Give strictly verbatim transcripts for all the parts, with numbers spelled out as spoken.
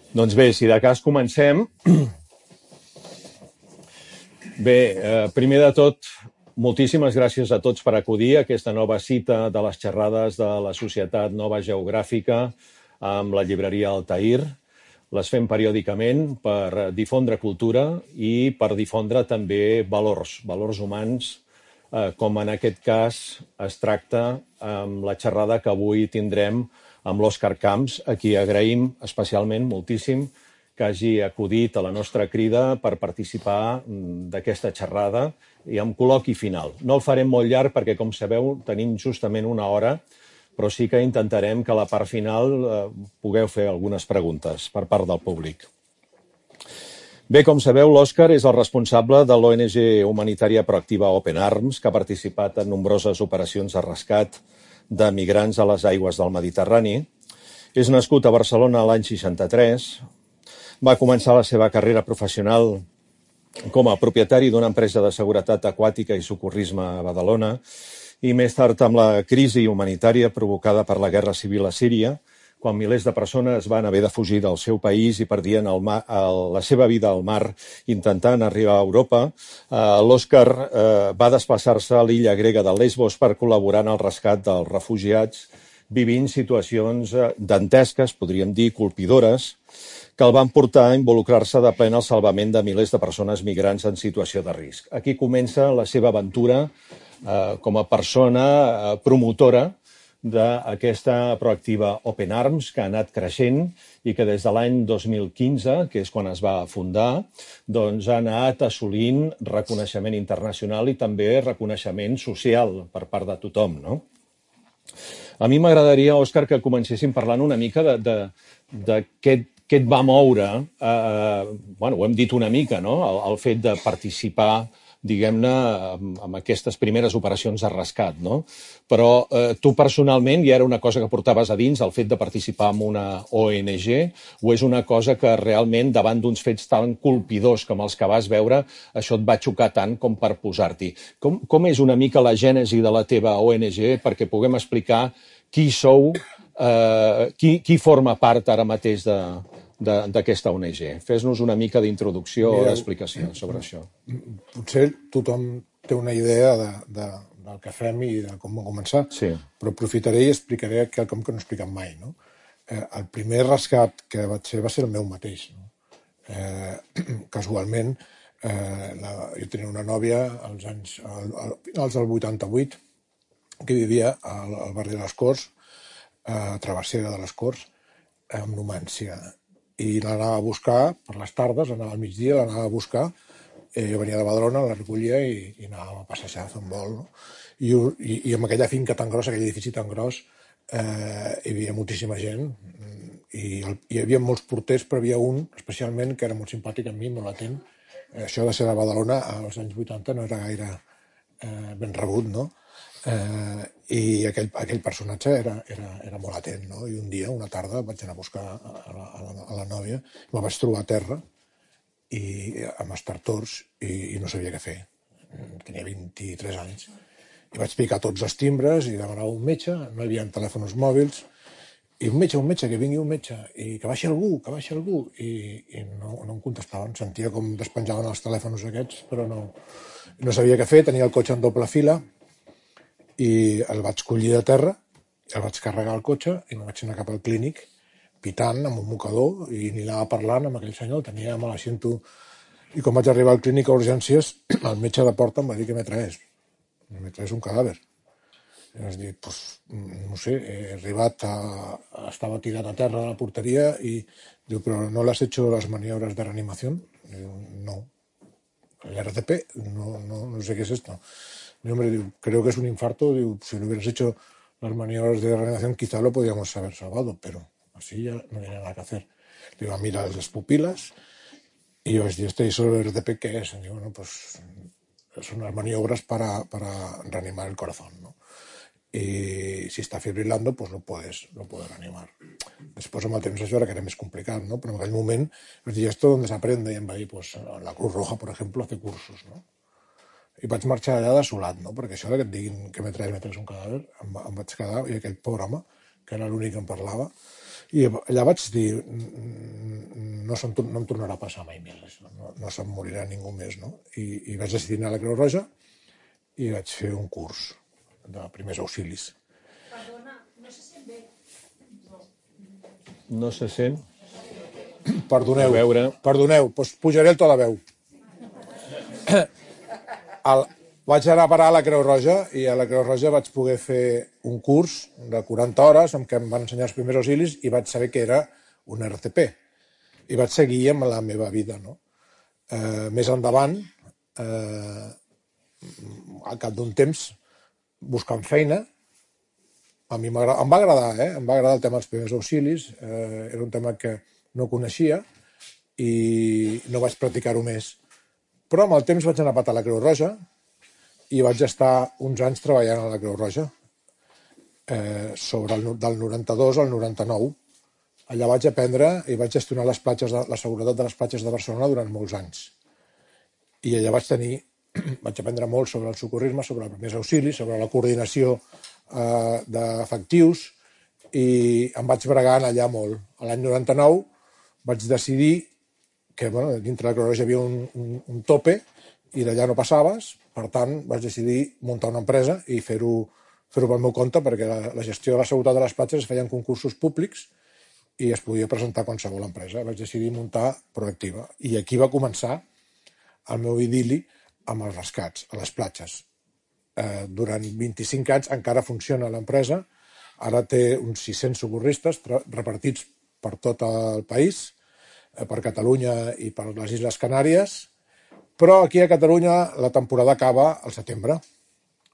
Doncs bé, si de cas comencem. Bé, eh, primer de tot, moltíssimes gràcies a tots per acudir a aquesta nova cita de les xerrades de la Societat Nova Geogràfica amb la llibreria Altair. Les fem periòdicament per difondre cultura i per difondre també valors, valors humans, eh, com en aquest cas es tracta amb la xerrada que avui tindrem amb l'Òscar Camps, a qui agraïm especialment moltíssim que hagi acudit a la nostra crida per participar d'aquesta xerrada i amb col·loqui final. No el farem molt llarg perquè, com sabeu, tenim justament una hora, però sí que intentarem que a la part final eh, pugueu fer algunes preguntes per part del públic. Bé, com sabeu, l'Òscar és el responsable de l'O N G humanitària proactiva Open Arms, que ha participat en nombroses operacions de rescat de migrants a les aigües del Mediterrani. És nascut a Barcelona l'any seixanta-tres, va començar la seva carrera professional com a propietari d'una empresa de seguretat aquàtica i socorrisme a Badalona i més tard amb la crisi humanitària provocada per la guerra civil a Síria, quan milers de persones van haver de fugir del seu país i perdien el mar, el, la seva vida al mar intentant arribar a Europa, eh, l'Òscar eh, va desplaçar-se a l'illa grega de Lesbos per col·laborar en el rescat dels refugiats, vivint situacions dantesques, podríem dir, colpidores, que el van portar a involucrar-se de ple en el salvament de milers de persones migrants en situació de risc. Aquí comença la seva aventura eh, com a persona eh, promotora d'aquesta proactiva Open Arms, que ha anat creixent i que des de l'any dos mil quinze, que és quan es va fundar, doncs ha anat assolint reconeixement internacional i també reconeixement social per part de tothom, no? A mi m'agradaria, Òscar, que comencéssim parlant una mica de, de, de què, què et va moure, eh, bueno, ho hem dit una mica, no? El, el fet de participar, diguem-ne, amb, amb aquestes primeres operacions de rescat, no? Però eh, tu personalment ja era una cosa que portaves a dins, el fet de participar en una O N G, o és una cosa que realment davant d'uns fets tan colpidors com els que vas veure, això et va xocar tant com per posar-t'hi? Com, com és una mica la gènesi de la teva O N G perquè puguem explicar qui sou, eh, qui, qui forma part ara mateix de, d'aquesta O N G? Fes-nos una mica d'introducció o d'explicació sobre això. Potser tothom té una idea de, de, del que fem i de com va començar, sí. Però aprofitaré i explicaré quelcom que no he explicat mai. No? Eh, el primer rescat que vaig fer va ser el meu mateix. No? Eh, casualment, eh, la, jo tenia una nòvia als anys, al, al, finals del vuitanta-vuit que vivia al, al barri de les Corts, a Travessera de les Corts, amb Numància. I l'anava a buscar per les tardes, anava al migdia, l'anava a buscar, eh, jo venia de Badalona, la recollia i, i anàvem a passejar, a fer un vol. No? I, i, I amb aquella finca tan grossa, aquell edifici tan gros, eh, hi havia moltíssima gent, i el, hi havia molts porters, però hi havia un, especialment, que era molt simpàtic amb mi, molt atent. Eh, això de ser de Badalona als anys vuitanta no era gaire eh, ben rebut, no? Eh, i aquell, aquell personatge era, era, era molt atent, no? I un dia, una tarda, vaig anar a buscar a la, a la, a la nòvia, me vaig trobar a terra i, amb estartors i, i no sabia què fer. Tenia vint-i-tres anys. I vaig picar tots els timbres i demanava un metge, no hi havia telèfons mòbils, i un metge, un metge, que vingui un metge, i que baixi algú, que baixi algú, i, i no, no em contestaven. Sentia com despenjaven els telèfons aquests, però no, no sabia què fer, tenia el cotxe en doble fila, i el vaig collir de terra, el vaig carregar al cotxe i me vaig anar cap al clínic, pitant amb un mocador, i ni anava parlant amb aquell senyor, el tenia mal asiento. I quan vaig arribar al clínic a urgències, el metge de porta em va dir que me traés. Me traés un cadàver. I vaig dir, pues, no sé, he arribat a... Estava tirat a terra a la porteria i diu, però no le has hecho las maniobras de reanimación? Diu, no. El R C P, no, no, no sé qué es esto. Mi hombre, digo, creo que es un infarto, digo, si lo hubieras hecho las maniobras de reanimación quizá lo podíamos haber salvado, pero así ya no había nada que hacer. Digo, mira las pupilas y yo, ¿este y solo el R D P qué es? Digo, bueno, pues son las maniobras para, para reanimar el corazón, ¿no? Y si está fibrilando, pues no puedes, no puedes reanimar. Després amb el temps això era que era més complicat, ¿no? Però en aquell moment, vaig dir, ¿esto dónde se aprende? I em va dir, pues la Cruz Roja, por ejemplo, hace cursos, ¿no? I vaig marxar allà desolat, no? Perquè això que et diguin que me traes, me traes un cadàver, em, em vaig quedar, i aquell pobre home, que era l'únic que em parlava, i allà vaig dir, no, no em tornarà a passar mai més, això. No, no se'm morirà ningú més, no? I, i vaig decidir anar a la Creu Roja i vaig fer un curs de primers auxilis. Perdona, no se sent bé. No se sent? Perdoneu, A veure. perdoneu, doncs pujaré el to de veu. El, vaig anar a parar a la Creu Roja i a la Creu Roja vaig poder fer un curs de quaranta hores en què em van ensenyar els primers auxilis i vaig saber que era un R T P. I vaig seguir amb la meva vida, no? Eh, més endavant, eh, al cap d'un temps, buscant feina, a mi em va agradar, eh? Em va agradar el tema dels primers auxilis, eh, era un tema que no coneixia i no vaig practicar-ho més. Però amb el temps vaig anar a patar a la Creu Roja i vaig estar uns anys treballant a la Creu Roja, eh, sobre el, del noranta-dos al noranta-nou. Allà vaig aprendre i vaig gestionar les platges de, la seguretat de les platges de Barcelona durant molts anys. I allà vaig tenir, vaig aprendre molt sobre el socorrisme, sobre els primers auxilis, sobre la coordinació eh, d'efectius i em vaig bregant allà molt. A l'any noranta-nou vaig decidir que bueno, dintre de la Creu Roja hi havia un, un, un tope i d'allà no passaves, per tant vaig decidir muntar una empresa i fer-ho fer-ho pel meu compte perquè la, la gestió de la seguretat de les platges es feien concursos públics i es podia presentar qualsevol empresa. Vaig decidir muntar Proactiva i aquí va començar el meu idili amb els rescats a les platges. Eh, durant vint-i-cinc anys encara funciona l'empresa, ara té uns sis-cents socorristes repartits per tot el país, per Catalunya i per les Illes Canàries, però aquí a Catalunya la temporada acaba al setembre,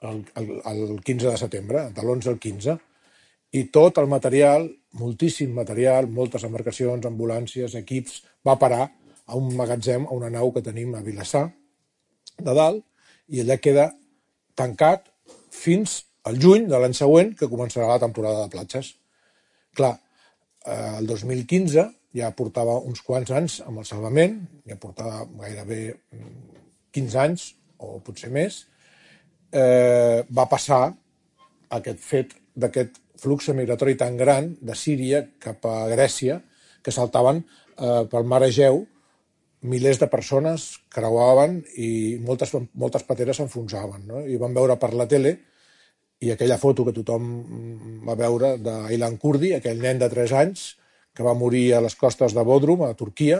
el, el, el quinze de setembre, de l'onze al quinze, i tot el material, moltíssim material, moltes embarcacions, ambulàncies, equips, va parar a un magatzem, a una nau que tenim a Vilassar de dalt, i allà queda tancat fins al juny de l'any següent, que començarà la temporada de platges. Clar, el dos mil quinze ja portava uns quants anys amb el salvament, ja portava gairebé quinze anys, o potser més, eh, va passar aquest fet d'aquest flux migratori tan gran de Síria cap a Grècia, que saltaven eh, pel mar Egeu, milers de persones creuaven i moltes, moltes pateres s'enfonsaven, no? I van veure per la tele i aquella foto que tothom va veure d'Aylan Kurdi, aquell nen de tres anys, que va morir a les costes de Bodrum, a Turquia,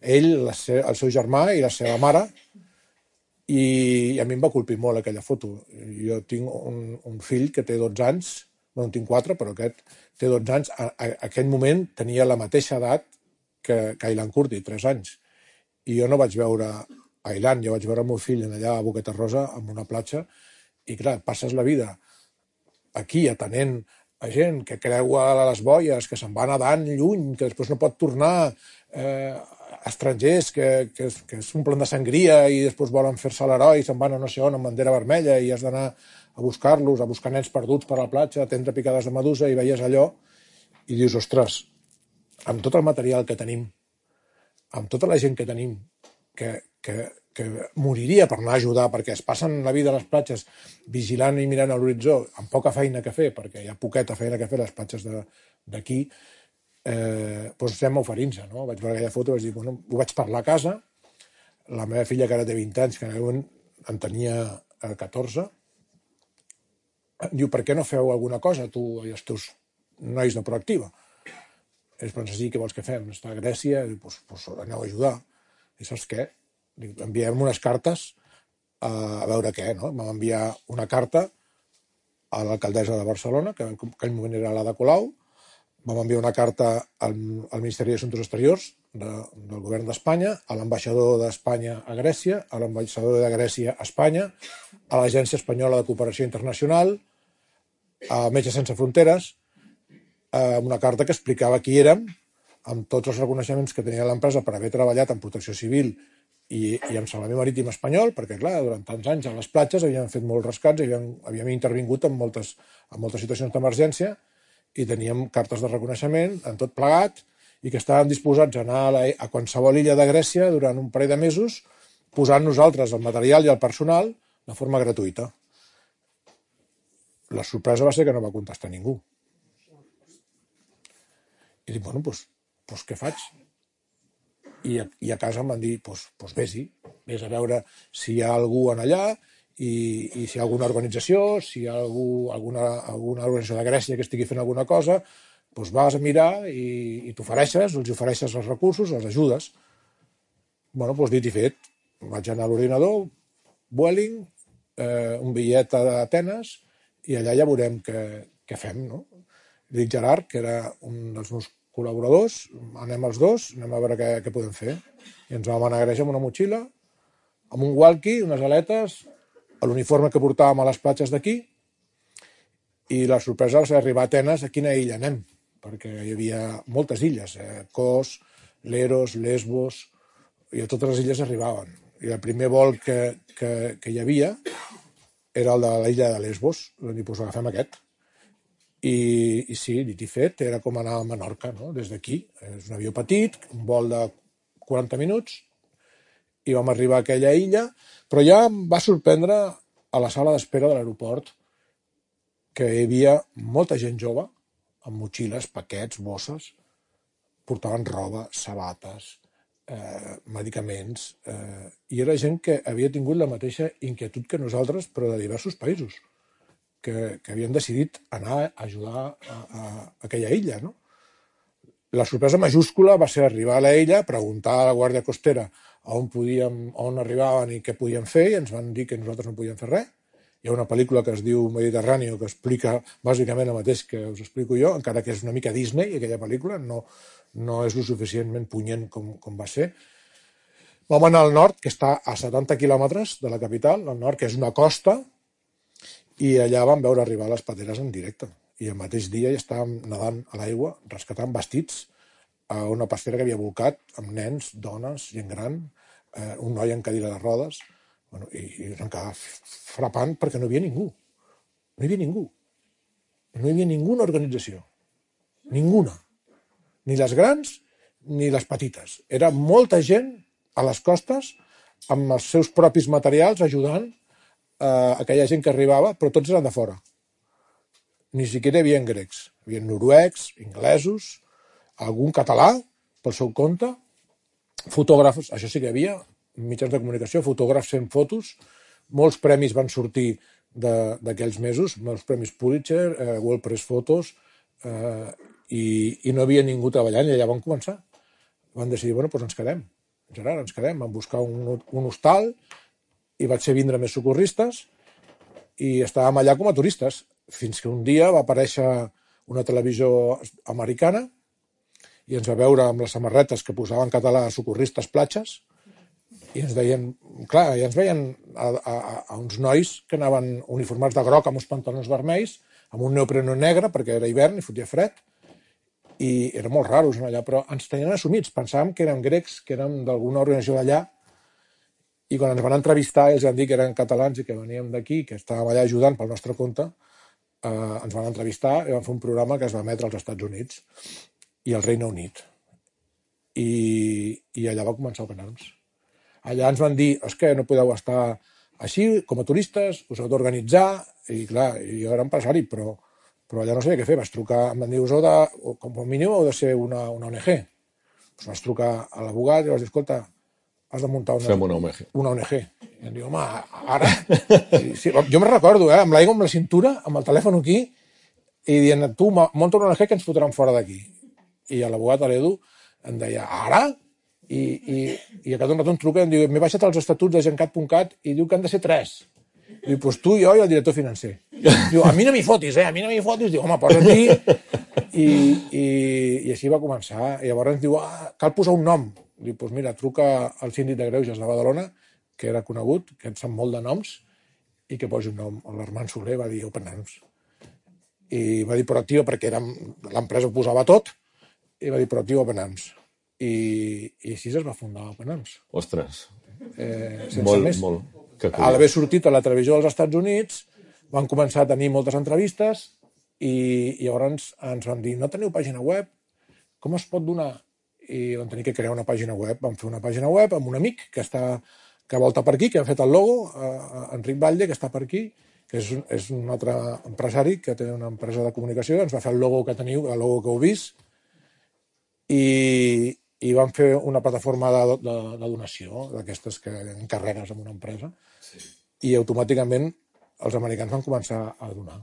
ell, el seu germà i la seva mare, i a mi em va colpir molt aquella foto. Jo tinc un, un fill que té dotze anys, no en tinc quatre, però aquest té dotze anys, a, a, a aquell moment tenia la mateixa edat que, que Aylan Kurdi, tres anys. I jo no vaig veure Aylan, jo vaig veure el meu fill allà a Boqueta Rosa, en una platja, i clar, passes la vida aquí atenent a gent que creua les boies, que se'n va nedant lluny, que després no pot tornar, eh, estrangers que, que, que s'omplen de sangria i després volen fer-se l'heroi i se'n van a no sé on amb bandera vermella i has d'anar a buscar-los, a buscar nens perduts per la platja, atendre picades de medusa, i veies allò i dius, ostres, amb tot el material que tenim, amb tota la gent que tenim, que, que, que moriria per anar a ajudar, perquè es passen la vida a les platges vigilant i mirant a l'horitzó, amb poca feina que fer, perquè hi ha poqueta feina que fer a les platges d'aquí, eh, doncs estem oferint-se, no? Vaig veure aquella foto i vaig dir, bueno, ho vaig parlar a casa, la meva filla, que ara té vint anys, que en aquell moment en tenia catorze, diu, per què no feu alguna cosa, tu i els teus nois de Proactiva? Ells pensen, sí, què vols que fem? Està a Grècia, i doncs, doncs aneu a ajudar. I saps què? Enviem unes cartes a, a veure què, no? Vam enviar una carta a l'alcaldessa de Barcelona, que en aquell moment era l'Ada Colau, vam enviar una carta al, al Ministeri d'Assumptes Exteriors de, del govern d'Espanya, a l'ambaixador d'Espanya a Grècia, a l'ambaixador de Grècia a Espanya, a l'Agència Espanyola de Cooperació Internacional, a Metges Sense Fronteres, amb una carta que explicava qui érem, amb tots els reconeixements que tenia l'empresa per haver treballat en protecció civil i, i en salvament marítim espanyol, perquè, clar, durant tants anys a les platges havíem fet molts rescats, havíem, havíem intervingut en moltes, en moltes situacions d'emergència i teníem cartes de reconeixement en tot plegat i que estàvem disposats a anar a, la, a qualsevol illa de Grècia durant un parell de mesos posant nosaltres el material i el personal de forma gratuïta. La sorpresa va ser que no va contestar ningú. I dic, bueno, doncs, doncs què faig? i a, i a casa em van dir, doncs, doncs vés-hi, vés a veure si hi ha algú en allà i, i si hi ha alguna organització, si hi ha algú, alguna, alguna organització de Grècia que estigui fent alguna cosa, doncs vas a mirar i, i t'ofereixes, els ofereixes els recursos, els ajudes. Bueno, doncs dit i fet, vaig anar a l'ordinador, Vueling, eh, un bitllet a Atenes, i allà ja veurem què, què fem, no? Dic Gerard, que era un dels meus col·laboradors, anem els dos, anem a veure què, què podem fer. I ens vam anar a Grècia amb una motxilla, amb un walkie, unes aletes, l'uniforme que portàvem a les platges d'aquí, i la sorpresa va ser arribar a Atenes, a quina illa anem, perquè hi havia moltes illes, eh? Kos, Leros, Lesbos, i a totes les illes arribaven. I el primer vol que, que, que hi havia era el de l'illa de Lesbos, vam dir, doncs agafem aquest. I, i sí, dit i fet, era com anar a Menorca, no? Des d'aquí. És un avió petit, un vol de quaranta minuts, i vam arribar a aquella illa, però ja em va sorprendre a la sala d'espera de l'aeroport que hi havia molta gent jove, amb motxilles, paquets, bosses, portaven roba, sabates, eh, medicaments, eh, i era gent que havia tingut la mateixa inquietud que nosaltres, però de diversos països, que, que havien decidit anar a ajudar a, a, a aquella illa, no? La sorpresa majúscula va ser arribar a la illa, preguntar a la Guàrdia Costera on, podíem, on arribaven i què podíem fer, i ens van dir que nosaltres no podíem fer res. Hi ha una pel·lícula que es diu Mediterráneo que explica bàsicament el mateix que us explico jo, encara que és una mica Disney, aquella pel·lícula, no, no és lo suficientment punyent com, com va ser. Vam anar al nord, que està a setanta quilòmetres de la capital, al nord, que és una costa, i allà vam veure arribar les pateres en directe. I el mateix dia ja estàvem nedant a l'aigua, rescatant vestits a una pastera que havia volcat, amb nens, dones, gent gran, eh, un noi en cadira de rodes, bueno, i, i ens quedava frapant perquè no hi havia ningú. No hi havia ningú. No hi havia ninguna organització. Ninguna. Ni les grans ni les petites. Era molta gent a les costes amb els seus propis materials ajudant a aquella gent que arribava, però tots eren de fora. Ni siquiera hi havia grecs. Hi havia noruecs, inglesos, algun català pel seu compte, fotògrafs, això sí que hi havia, mitjans de comunicació, fotògrafs fent fotos, molts premis van sortir d'aquells mesos, molts premis Pulitzer, eh, World Press Photos, eh, i, i no havia ningú treballant, i allà van començar. Van decidir, bueno, doncs ens quedem. Gerard, ens quedem, van buscar un, un hostal, i vaig ser vindre més socorristes, i estàvem allà com a turistes, fins que un dia va aparèixer una televisió americana, i ens va veure amb les samarretes que posaven en català socorristes platges, i ens deien, clar, i ens veien a, a, a uns nois que anaven uniformats de groc amb uns pantalons vermells, amb un neopreno negre, perquè era hivern i fotia fred, i era molt raros allà, però ens tenien assumits, pensàvem que érem grecs, que érem d'alguna organització d'allà, i quan ens van entrevistar i els van dir que eren catalans i que veníem d'aquí, que estàvem allà ajudant pel nostre compte, eh, ens van entrevistar i van fer un programa que es va emetre als Estats Units i al Regne Unit. I, i allà va començar Open Arms. Allà ens van dir, és que no podeu estar així, com a turistes, us heu d'organitzar, i clar, jo era empresari, però, però allà no sabia què fer. Vaig trucar, em van dir, us heu de, com a mínim heu de ser una, una O N G. Pues vaig trucar a l'abogat i vaig dir, escolta, has de muntar una, una O N G. Una O N G. I em diu, home, ara... Sí, sí, jo me'n recordo, eh, amb l'aigua amb la cintura, amb el telèfon aquí, i dient, tu, munta una O N G que ens fotran fora d'aquí. I l'abogat, l'Edu, em deia, ara? I, i, i a cada un rato em truca i em diu, m'he baixat els estatuts de gencat punt cat i diu que han de ser tres. Diu, doncs tu, jo i el director financer. Diu, a mi no m'hi fotis, eh, a mi no m'hi fotis. Diu, home, posa't-hi. I, i, I així va començar. I llavors ens diu, ah, cal posar un nom. Diu, doncs mira, truca al síndic de Greuges de Badalona, que era conegut, que en sap molt de noms, i que posi un nom. L'Armand Soler va dir Open Arms. I va dir proactiu perquè l'empresa ho posava tot, i va dir proactiu Open Arms. I, i així es va fundar Open Arms. Ostres, eh, molt, més. molt. A l'haver sortit a la televisió dels Estats Units, van començar a tenir moltes entrevistes i, i llavors ens van dir, no teniu pàgina web? Com es pot donar? I vam tenir que crear una pàgina web. Vam fer una pàgina web amb un amic que està que volta per aquí, que ha fet el logo, eh, Enric Batlle, que està per aquí, que és un, és un altre empresari que té una empresa de comunicació, ens va fer el logo que teniu, el logo que heu vist, i, i van fer una plataforma de, de, de donació, d'aquestes que encarregues amb una empresa, sí. I automàticament els americans van començar a donar.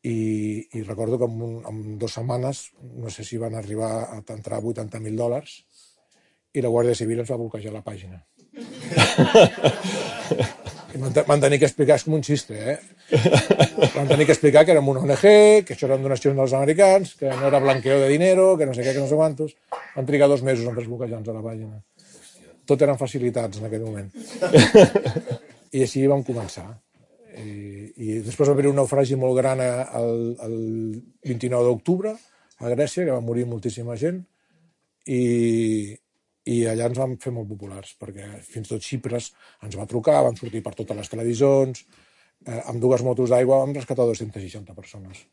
I, i recordo que en, un, en dues setmanes, no sé si van arribar a entrar vuitanta mil dòlars, i la Guàrdia Civil ens va bloquejar la pàgina. Van tenir que explicar, és com un xiste, eh? Van tenir que explicar que érem una O N G, que això eren donacions dels americans, que no era blanqueo de dinero, que no sé què, que no sé quantos. Van trigar dos mesos en desbloquejar-nos a la pàgina. Tot eren facilitats en aquell moment. I així vam començar. I, i després va haver un naufragi molt gran el, el vint-i-nou d'octubre a Grècia, que va morir moltíssima gent, i, i allà ens vam fer molt populars, perquè fins i tot Xipres ens va trucar, vam sortir per totes les televisions, eh, amb dues motos d'aigua vam rescatar dues-centes seixanta persones,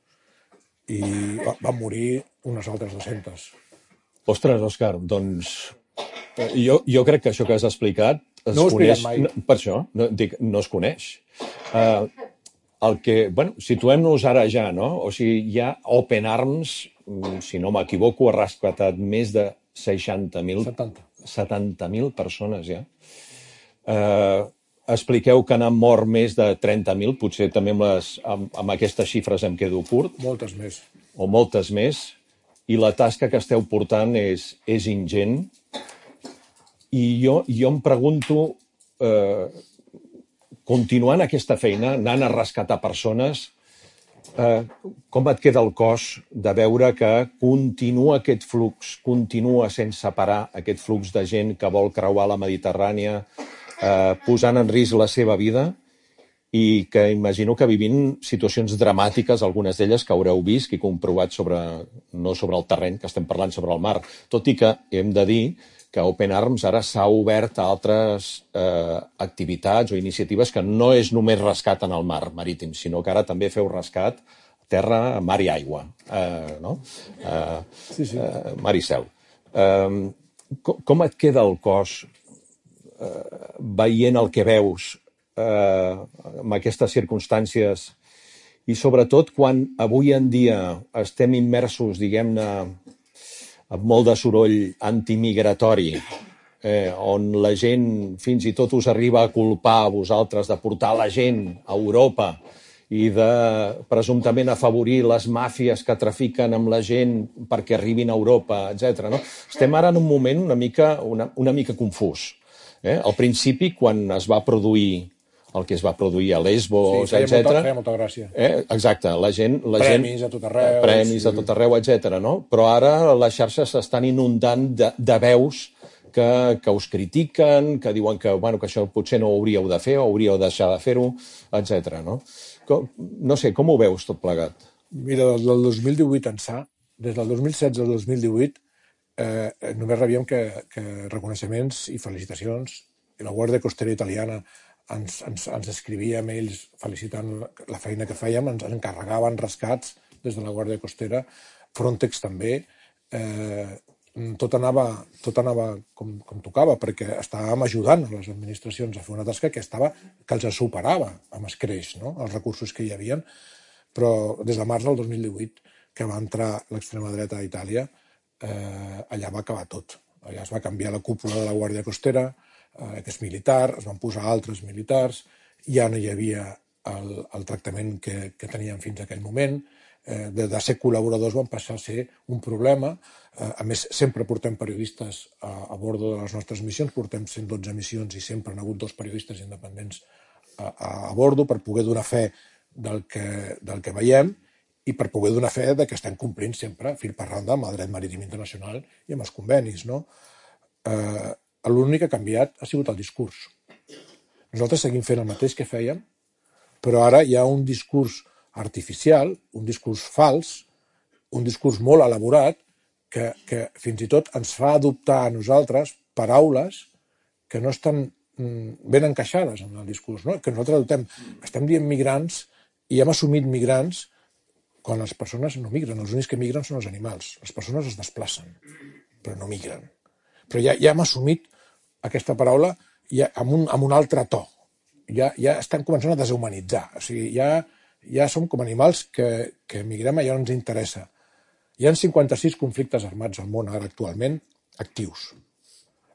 i van morir unes altres dues-centes. Ostres, Òscar, doncs jo, jo crec que això que has explicat es no ho coneix, mai. No, per això, no, dic, no es coneix. Uh, el que, bueno, situem-nos ara ja, no? O sigui, ja Open Arms, si no m'equivoco, ha rescatat més de seixanta mil... setanta mil persones, ja. Uh, expliqueu que n'han mort més de trenta mil, potser també amb, les, amb, amb aquestes xifres em quedo curt. Moltes més. O moltes més. I la tasca que esteu portant és, és ingent. I jo, jo em pregunto, eh, continuant aquesta feina, anant a rescatar persones, eh, com et queda el cos de veure que continua aquest flux, continua sense parar aquest flux de gent que vol creuar la Mediterrània, eh, posant en risc la seva vida, i que imagino que vivint situacions dramàtiques, algunes d'elles que haureu vist i comprovat sobre, no sobre el terreny, que estem parlant sobre el mar, tot i que hem de dir que Open Arms ara s'ha obert a altres eh, activitats o iniciatives que no és només rescat en el mar marítim, sinó que ara també feu rescat terra, mar i aigua, eh, no? Eh, sí, sí. Eh, mar i cel. Eh, com, com et queda el cos eh, veient el que veus eh, amb aquestes circumstàncies i sobretot quan avui en dia estem immersos, diguem-ne, amb molt de soroll antimigratori, eh, on la gent fins i tot us arriba a culpar a vosaltres de portar la gent a Europa i de presumptament afavorir les màfies que trafiquen amb la gent perquè arribin a Europa, etcètera. No? Estem ara en un moment una mica, una, una mica confús. Eh? Al principi, quan es va produir el que es va produir a Lesbos, sí, etcètera. Feia molta gràcia. Eh? Exacte, la gent... La premis gent, a tot arreu. Premis sí. a tot arreu, etcètera. No? Però ara les xarxes s'estan inundant de, de veus que, que us critiquen, que diuen que, bueno, que això potser no ho hauríeu de fer o hauríeu de deixar de fer-ho, etcètera. No? Com, no sé, com ho veus tot plegat? Mira, des del dos mil divuit ençà, des del dos mil setze al dos mil divuit, eh, només rebíem que, que reconeixements i felicitacions. I la Guàrdia Costera italiana Ens, ens, ens escrivia mails felicitant la feina que fèiem, ens encarregaven rescats des de la Guàrdia Costera, Frontex també, eh, tot anava, tot anava com, com tocava, perquè estàvem ajudant a les administracions a fer una tasca que, estava, que els superava amb escreix, no? Els recursos que hi havia, però des de març del dos mil divuit, que va entrar l'extrema dreta a Itàlia, eh, allà va acabar tot. Allà es va canviar la cúpula de la Guàrdia Costera, que és militar, es van posar altres militars, ja no hi havia el, el tractament que, que teníem fins a aquell moment, eh, de, de ser col·laboradors van passar a ser un problema, eh, a més sempre portem periodistes a, a bordo de les nostres missions, portem cent dotze missions i sempre han hagut dos periodistes independents a, a, a bordo per poder donar fe del que, del que veiem i per poder donar fe de que estem complint sempre fil per randa amb el dret marítim internacional i amb els convenis, no? Eh, L'únic que ha canviat ha sigut el discurs. Nosaltres seguim fent el mateix que fèiem, però ara hi ha un discurs artificial, un discurs fals, un discurs molt elaborat, que, que fins i tot ens fa adoptar a nosaltres paraules que no estan ben encaixades en el discurs, no? Que nosaltres adoptem, estem dient migrants i hem assumit migrants quan les persones no migren. Els únics que migren són els animals. Les persones es desplacen, però no migren. Però ja, ja hem assumit aquesta paraula ja amb, un, amb un altre to. Ja, ja estan començant a deshumanitzar. O sigui, ja, ja som com animals que, que migrem allà on ens interessa. Hi ha cinquanta-sis conflictes armats al món ara actualment, actius.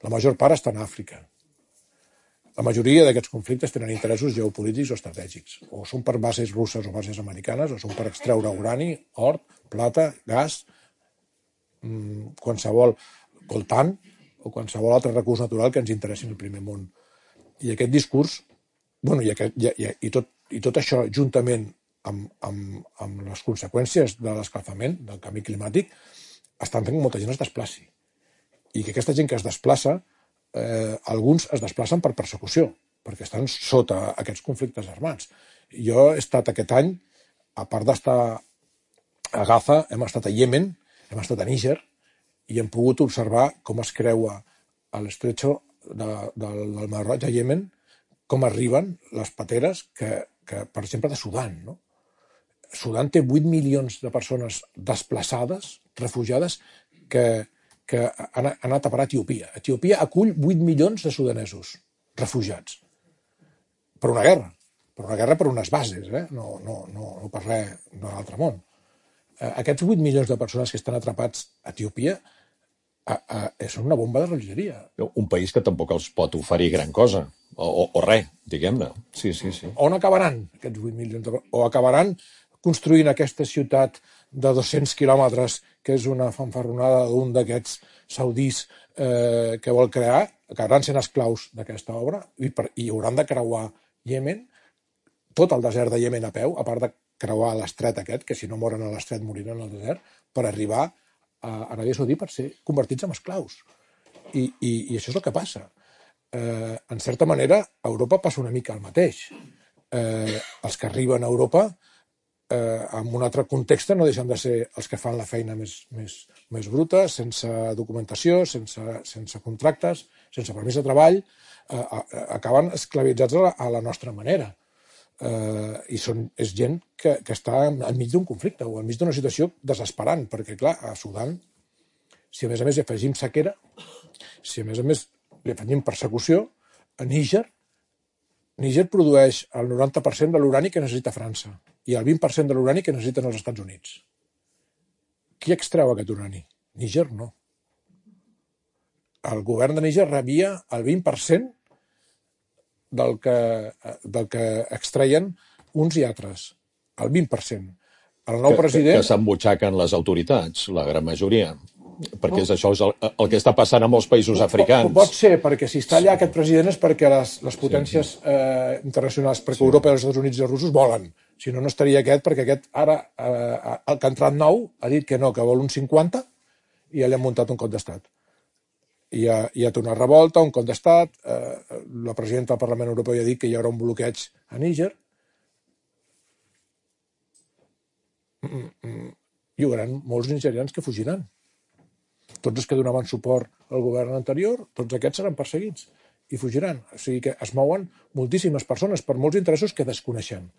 La major part estan a Àfrica. La majoria d'aquests conflictes tenen interessos geopolítics o estratègics. O són per bases russes o bases americanes, o són per extreure urani, or, plata, gas, qualsevol coltan o qualsevol altre recurs natural que ens interessi en el primer món. I aquest discurs, bueno, i, aquest, i, i, i, tot, i tot això juntament amb, amb, amb les conseqüències de l'escalfament, del canvi climàtic, estan fent que molta gent es desplaci. I que aquesta gent que es desplaça, eh, alguns es desplacen per persecució, perquè estan sota aquests conflictes armats. Jo he estat aquest any, a part d'estar a Gaza, hem estat a Iemen, hem estat a Níger, i hem pogut observar com es creua a l'estretxo de, del, del Mar Roig a Iemen, com arriben les pateres que, que per exemple, de Sudan, no? Sudan té vuit milions de persones desplaçades, refugiades, que, que han, han anat a parar a Etiòpia. Etiòpia acull vuit milions de sudanesos refugiats per una guerra, per una guerra per unes bases, eh? no, no, no, no per res d'un altre món. Aquests vuit milions de persones que estan atrapats a Etiòpia a, a, són una bomba de relojeria. Un país que tampoc els pot oferir gran cosa, o, o, o res, diguem-ne. Sí, sí, sí. On acabaran aquests vuit milions de persones? O acabaran construint aquesta ciutat de dos-cents quilòmetres, que és una fanfarronada d'un d'aquests saudís eh, que vol crear, acabaran sent esclaus d'aquesta obra, i, per, i hauran de creuar Iemen, tot el desert de Iemen a peu, a part de creuar l'estret aquest, que si no moren a l'estret moriran al desert, per arribar a Aràbia Saudí per ser convertits en esclaus. I, i, i això és el que passa. Eh, en certa manera, a Europa passa una mica el mateix. Eh, els que arriben a Europa, eh, en un altre context, no deixen de ser els que fan la feina més, més, més bruta, sense documentació, sense, sense contractes, sense permís de treball, eh, acaben esclavitzats a la, a la nostra manera. Uh, i són, és gent que, que està enmig d'un conflicte o enmig d'una situació desesperant, perquè clar, a Sudan, si a més a més hi afegim sequera, si a més a més li afegim persecució, a Níger, Níger produeix el noranta per cent de l'urani que necessita França i el vint per cent de l'urani que necessiten els Estats Units. Qui extreu aquest urani? Níger no. El govern de Níger rebia el vint per cent del que, del que extreien uns i altres, el vint per cent. El nou que, president... Que, que s'embutxaquen les autoritats, la gran majoria, perquè és això és el, el que està passant a molts països africans. Pot ser, perquè si està allà aquest president és perquè les, les potències sí, sí. Eh, internacionals, perquè sí. Europa, els Estats Units i els russos volen. Si no, no estaria aquest, perquè aquest ara, eh, el que ha entrat nou, ha dit que no, que vol un cinquanta, i ja li han muntat un cop d'estat. Hi ha, hi ha una revolta, un cop d'estat, eh, la presidenta del Parlament Europeu ja ha dit que hi haurà un bloqueig a Níger. Mm, mm, hi haurà molts nigerians que fugiran. Tots els que donaven suport al govern anterior, tots aquests seran perseguits i fugiran. O sigui que es mouen moltíssimes persones per molts interessos que desconeixem.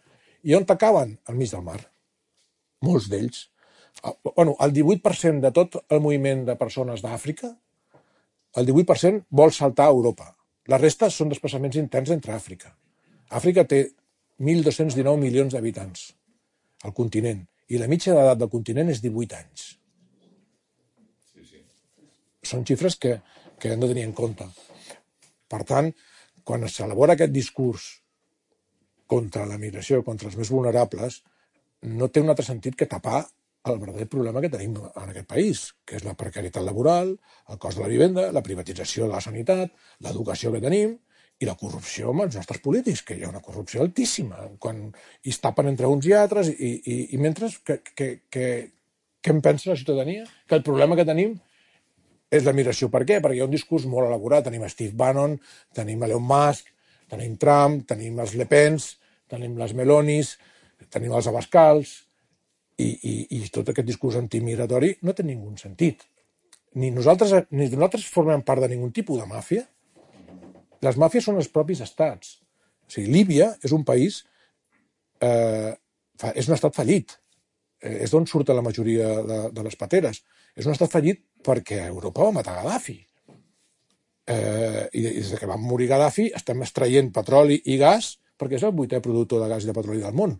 I on acaben? Al mig del mar. Molts d'ells. Bueno, el divuit per cent de tot el moviment de persones d'Àfrica, el divuit per cent vol saltar a Europa. La resta són desplaçaments interns entre Àfrica. Àfrica té mil dos-cents dinou milions d'habitants, al continent, i la mitja d'edat del continent és divuit anys. Sí, sí. Són xifres que, que hem de tenir en compte. Per tant, quan s'elabora aquest discurs contra la migració, contra els més vulnerables, no té un altre sentit que tapar el verdader problema que tenim en aquest país, que és la precarietat laboral, el cost de la vivenda, la privatització de la sanitat, l'educació que tenim i la corrupció amb els nostres polítics, que hi ha una corrupció altíssima, quan es tapen entre uns i altres, i, i, i mentre que, que, que, què en pensa la ciutadania? Que el problema que tenim és la migració. Per què? Perquè hi ha un discurs molt elaborat. Tenim Steve Bannon, tenim Elon Musk, tenim Trump, tenim els Le Pens, tenim les Melonis, tenim els Abascals, I, i, i tot aquest discurs antimigratori no té ningú sentit. Ni nosaltres, ni nosaltres formem part de ningun tipus de màfia. Les màfies són els propis estats. O sigui, Líbia és un país, eh, és un estat fallit. Eh, és d'on surten la majoria de, de les pateres. És un estat fallit perquè Europa va matar Gaddafi. Eh, I des que va morir Gaddafi estem extraient petroli i gas perquè és el vuitè productor de gas i de petroli del món.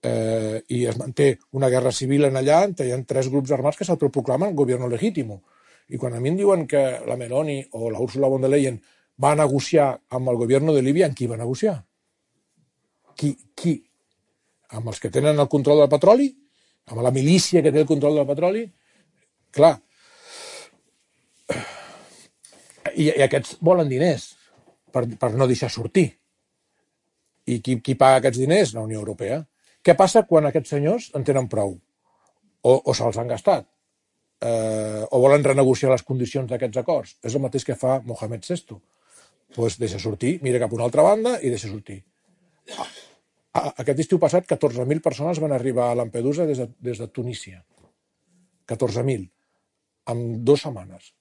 Eh, i es manté una guerra civil en allà, hi ha tres grups armats que s'autoproclamen gobierno legítimo I quan a mi em diuen que la Meloni o la Ursula von der Leyen va negociar amb el govern de Líbia, amb qui va negociar? Qui? Qui? Amb els que tenen el control del petroli? Amb la milícia que té el control del petroli? Clar. I, i aquests volen diners per, per no deixar sortir. I qui, qui paga aquests diners? La Unió Europea. Què passa quan aquests senyors en tenen prou? O, o se'ls han gastat? Eh, o volen renegociar les condicions d'aquests acords? És el mateix que fa Mohamed sexto. Doncs deixa sortir, mira cap a una altra banda i deixa sortir. Aquest estiu passat, catorze mil persones van arribar a Lampedusa des de, des de Tunísia. catorze mil. En dues setmanes.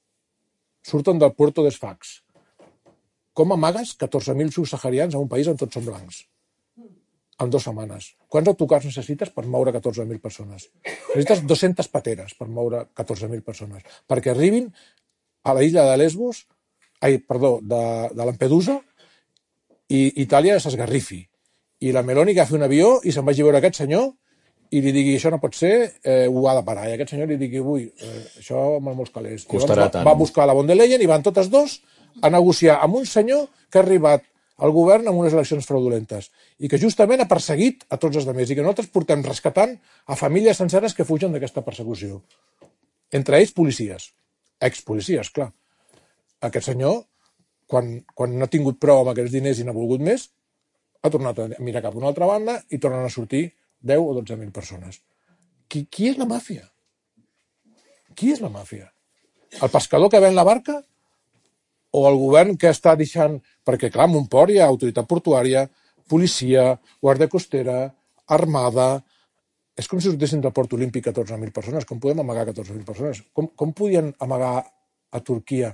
Surten del Puerto de Sfax. Com amagues catorze mil subsaharians en un país on tots són blancs? En dues setmanes. Quants autocars necessites per moure catorze mil persones? Necessites dues-centes pateres per moure catorze mil persones. Perquè arribin a la illa de Lesbos, ai, perdó, de, de Lampedusa, i Itàlia s'esgarrifi. I la Meloni agafi un avió i se'n vagi a veure aquest senyor i li digui, això no pot ser, eh, ho ha de parar. I aquest senyor li digui, ui, eh, això amb molts calés. Costarà tant. Va buscar la von der Leyen i van totes dos a negociar amb un senyor que ha arribat al govern amb unes eleccions fraudulentes i que justament ha perseguit a tots els altres i que nosaltres portem rescatant a famílies senceres que fugen d'aquesta persecució. Entre ells, policies. Expolicies, clar. Aquest senyor, quan, quan no ha tingut prou amb aquests diners i n'ha volgut més, ha tornat a mirar cap a una altra banda i tornen a sortir deu o dotze mil persones. Qui, qui és la màfia? Qui és la màfia? El pescador que ven la barca? O el govern que està deixant... Perquè, clar, en un port hi ha autoritat portuària, policia, guàrdia costera, armada... És com si sortessin del port olímpic catorze mil persones. Com podem amagar catorze mil persones? Com, com podien amagar a Turquia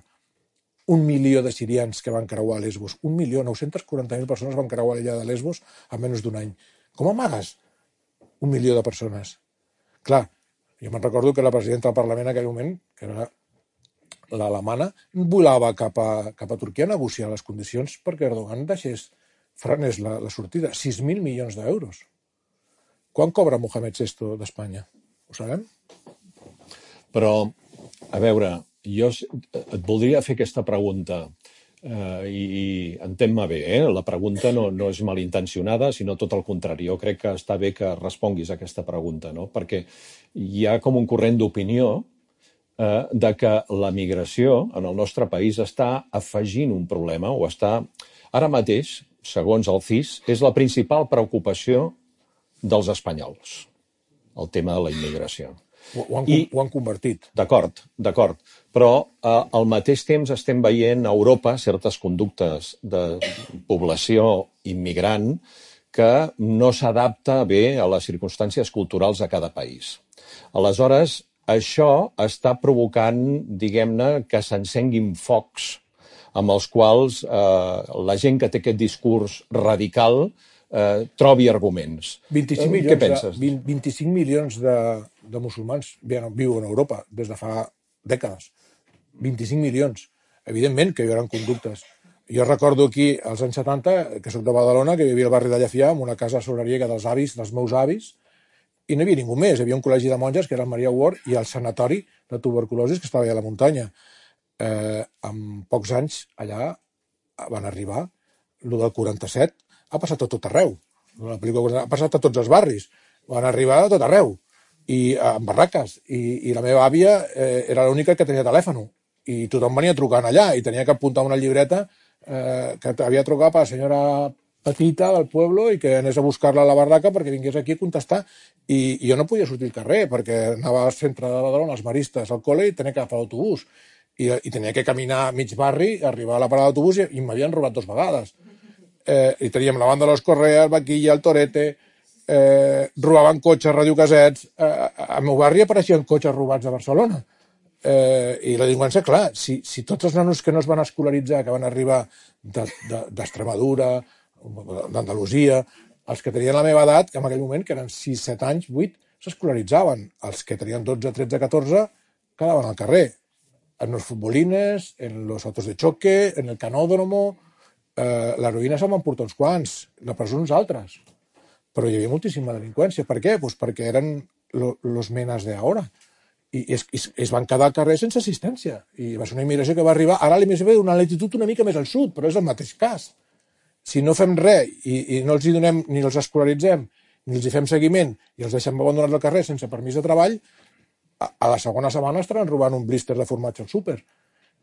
un milió de sirians que van creuar a Lesbos? Un milió, nou-centes quaranta mil persones van creuar l'illa de Lesbos en menys d'un any. Com amagues un milió de persones? Clar, jo me'n recordo que la presidenta del Parlament en aquell moment, que era l'alemana, volava cap a, cap a Turquia a negociar les condicions perquè Erdogan deixés frenés la, la sortida. sis mil milions d'euros. Quan cobra Mohamed sexto d'Espanya? Ho sabem? Però, a veure, jo et voldria fer aquesta pregunta eh, i, i entén-me bé, eh? La pregunta no, no és malintencionada, sinó tot el contrari. Jo crec que està bé que responguis a aquesta pregunta, no? Perquè hi ha com un corrent d'opinió eh, de que la migració en el nostre país està afegint un problema o està, ara mateix, segons el C I S, és la principal preocupació dels espanyols, el tema de la immigració. Ho, ho, han, I, ho han convertit. D'acord, d'acord. Però eh, al mateix temps estem veient a Europa certes conductes de població immigrant que no s'adapta bé a les circumstàncies culturals de cada país. Aleshores, això està provocant, diguem-ne, que s'encenguin focs amb els quals eh, la gent que té aquest discurs radical Eh, trobi arguments. vint-i-cinc eh, milions Què penses? De, vint-i-cinc milions de, de musulmans viuen a Europa des de fa dècades. vint-i-cinc milions. Evidentment que hi haurà conductes. Jo recordo aquí, als anys setanta, que soc de Badalona, que vivia al barri de Llefià, en una casa solariega dels avis, dels meus avis, i no hi havia ningú més. Hi havia un col·legi de monges, que era el Maria Ward, i el sanatori de tuberculosis, que estava allà a la muntanya. Eh, en pocs anys, allà van arribar, el del quaranta-set, ha passat a tot arreu. La pel·lícula ha passat a tots els barris. Van arribar a tot arreu. I en barraques. I, i la meva àvia eh, era l'única que tenia telèfon. I tothom venia trucant allà. I tenia que apuntar una llibreta eh, que havia trucat per la senyora petita del poble i que anés a buscar-la a la barraca perquè vingués aquí a contestar. I, i jo no podia sortir al carrer perquè anava al centre de Badalona, als maristes, al col·le, i tenia que agafar l'autobús. I, I tenia que caminar mig barri, arribar a la parada d'autobús i, i m'havien robat dos vegades. Eh, i teníem la banda de los Correa, el Vaquilla, el Torete, eh, robaven cotxes, radiocasets. Eh, al meu barri apareixien cotxes robats a Barcelona. Eh, I la delinqüència, clar, si, si tots els nanos que no es van escolaritzar, que van arribar d'Extremadura, d'Andalusia, els que tenien la meva edat, que en aquell moment, que eren sis, set anys, vuit, s'escolaritzaven. Els que tenien dotze, tretze, catorze, quedaven al carrer. En los futbolines, en los autos de choque, en el canódromo. Eh, l'heroïna se'n van portar uns quants, la presó uns altres. Però hi havia moltíssima delinqüència. Per què? Pues perquè eren lo, los menas de ahora. i es, es, es van quedar al carrer sense assistència. I va ser una immigració que va arribar, ara l'immigració ve d'una latitud una mica més al sud, però és el mateix cas. Si no fem res i, i no els hi donem, ni els escolaritzem, ni els hi fem seguiment, i els deixem abandonats al carrer sense permís de treball, a, a la segona setmana estaran robant un blister de formatge al súper.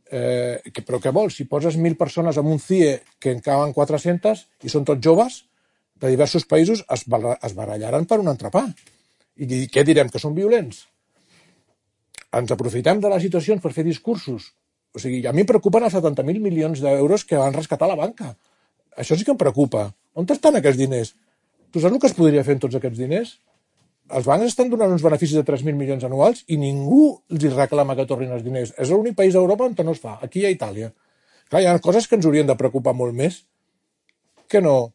Eh, que, però què vols? Si poses mil persones en un C I E que en caben quatre-centes i són tots joves de diversos països, es, es barallaran per un entrepà. I què direm? Que són violents? Ens aprofitem de les situacions per fer discursos. O sigui, a mi em preocupen els setanta mil milions d'euros que van rescatar la banca. Això sí que em preocupa. On estan aquests diners? Tu saps el que es podria fer amb tots aquests diners? Els bancs estan donant uns beneficis de tres mil milions anuals i ningú els reclama que tornin els diners. És l'únic país d'Europa on no es fa. Aquí i a Itàlia. Clar, hi ha coses que ens haurien de preocupar molt més que no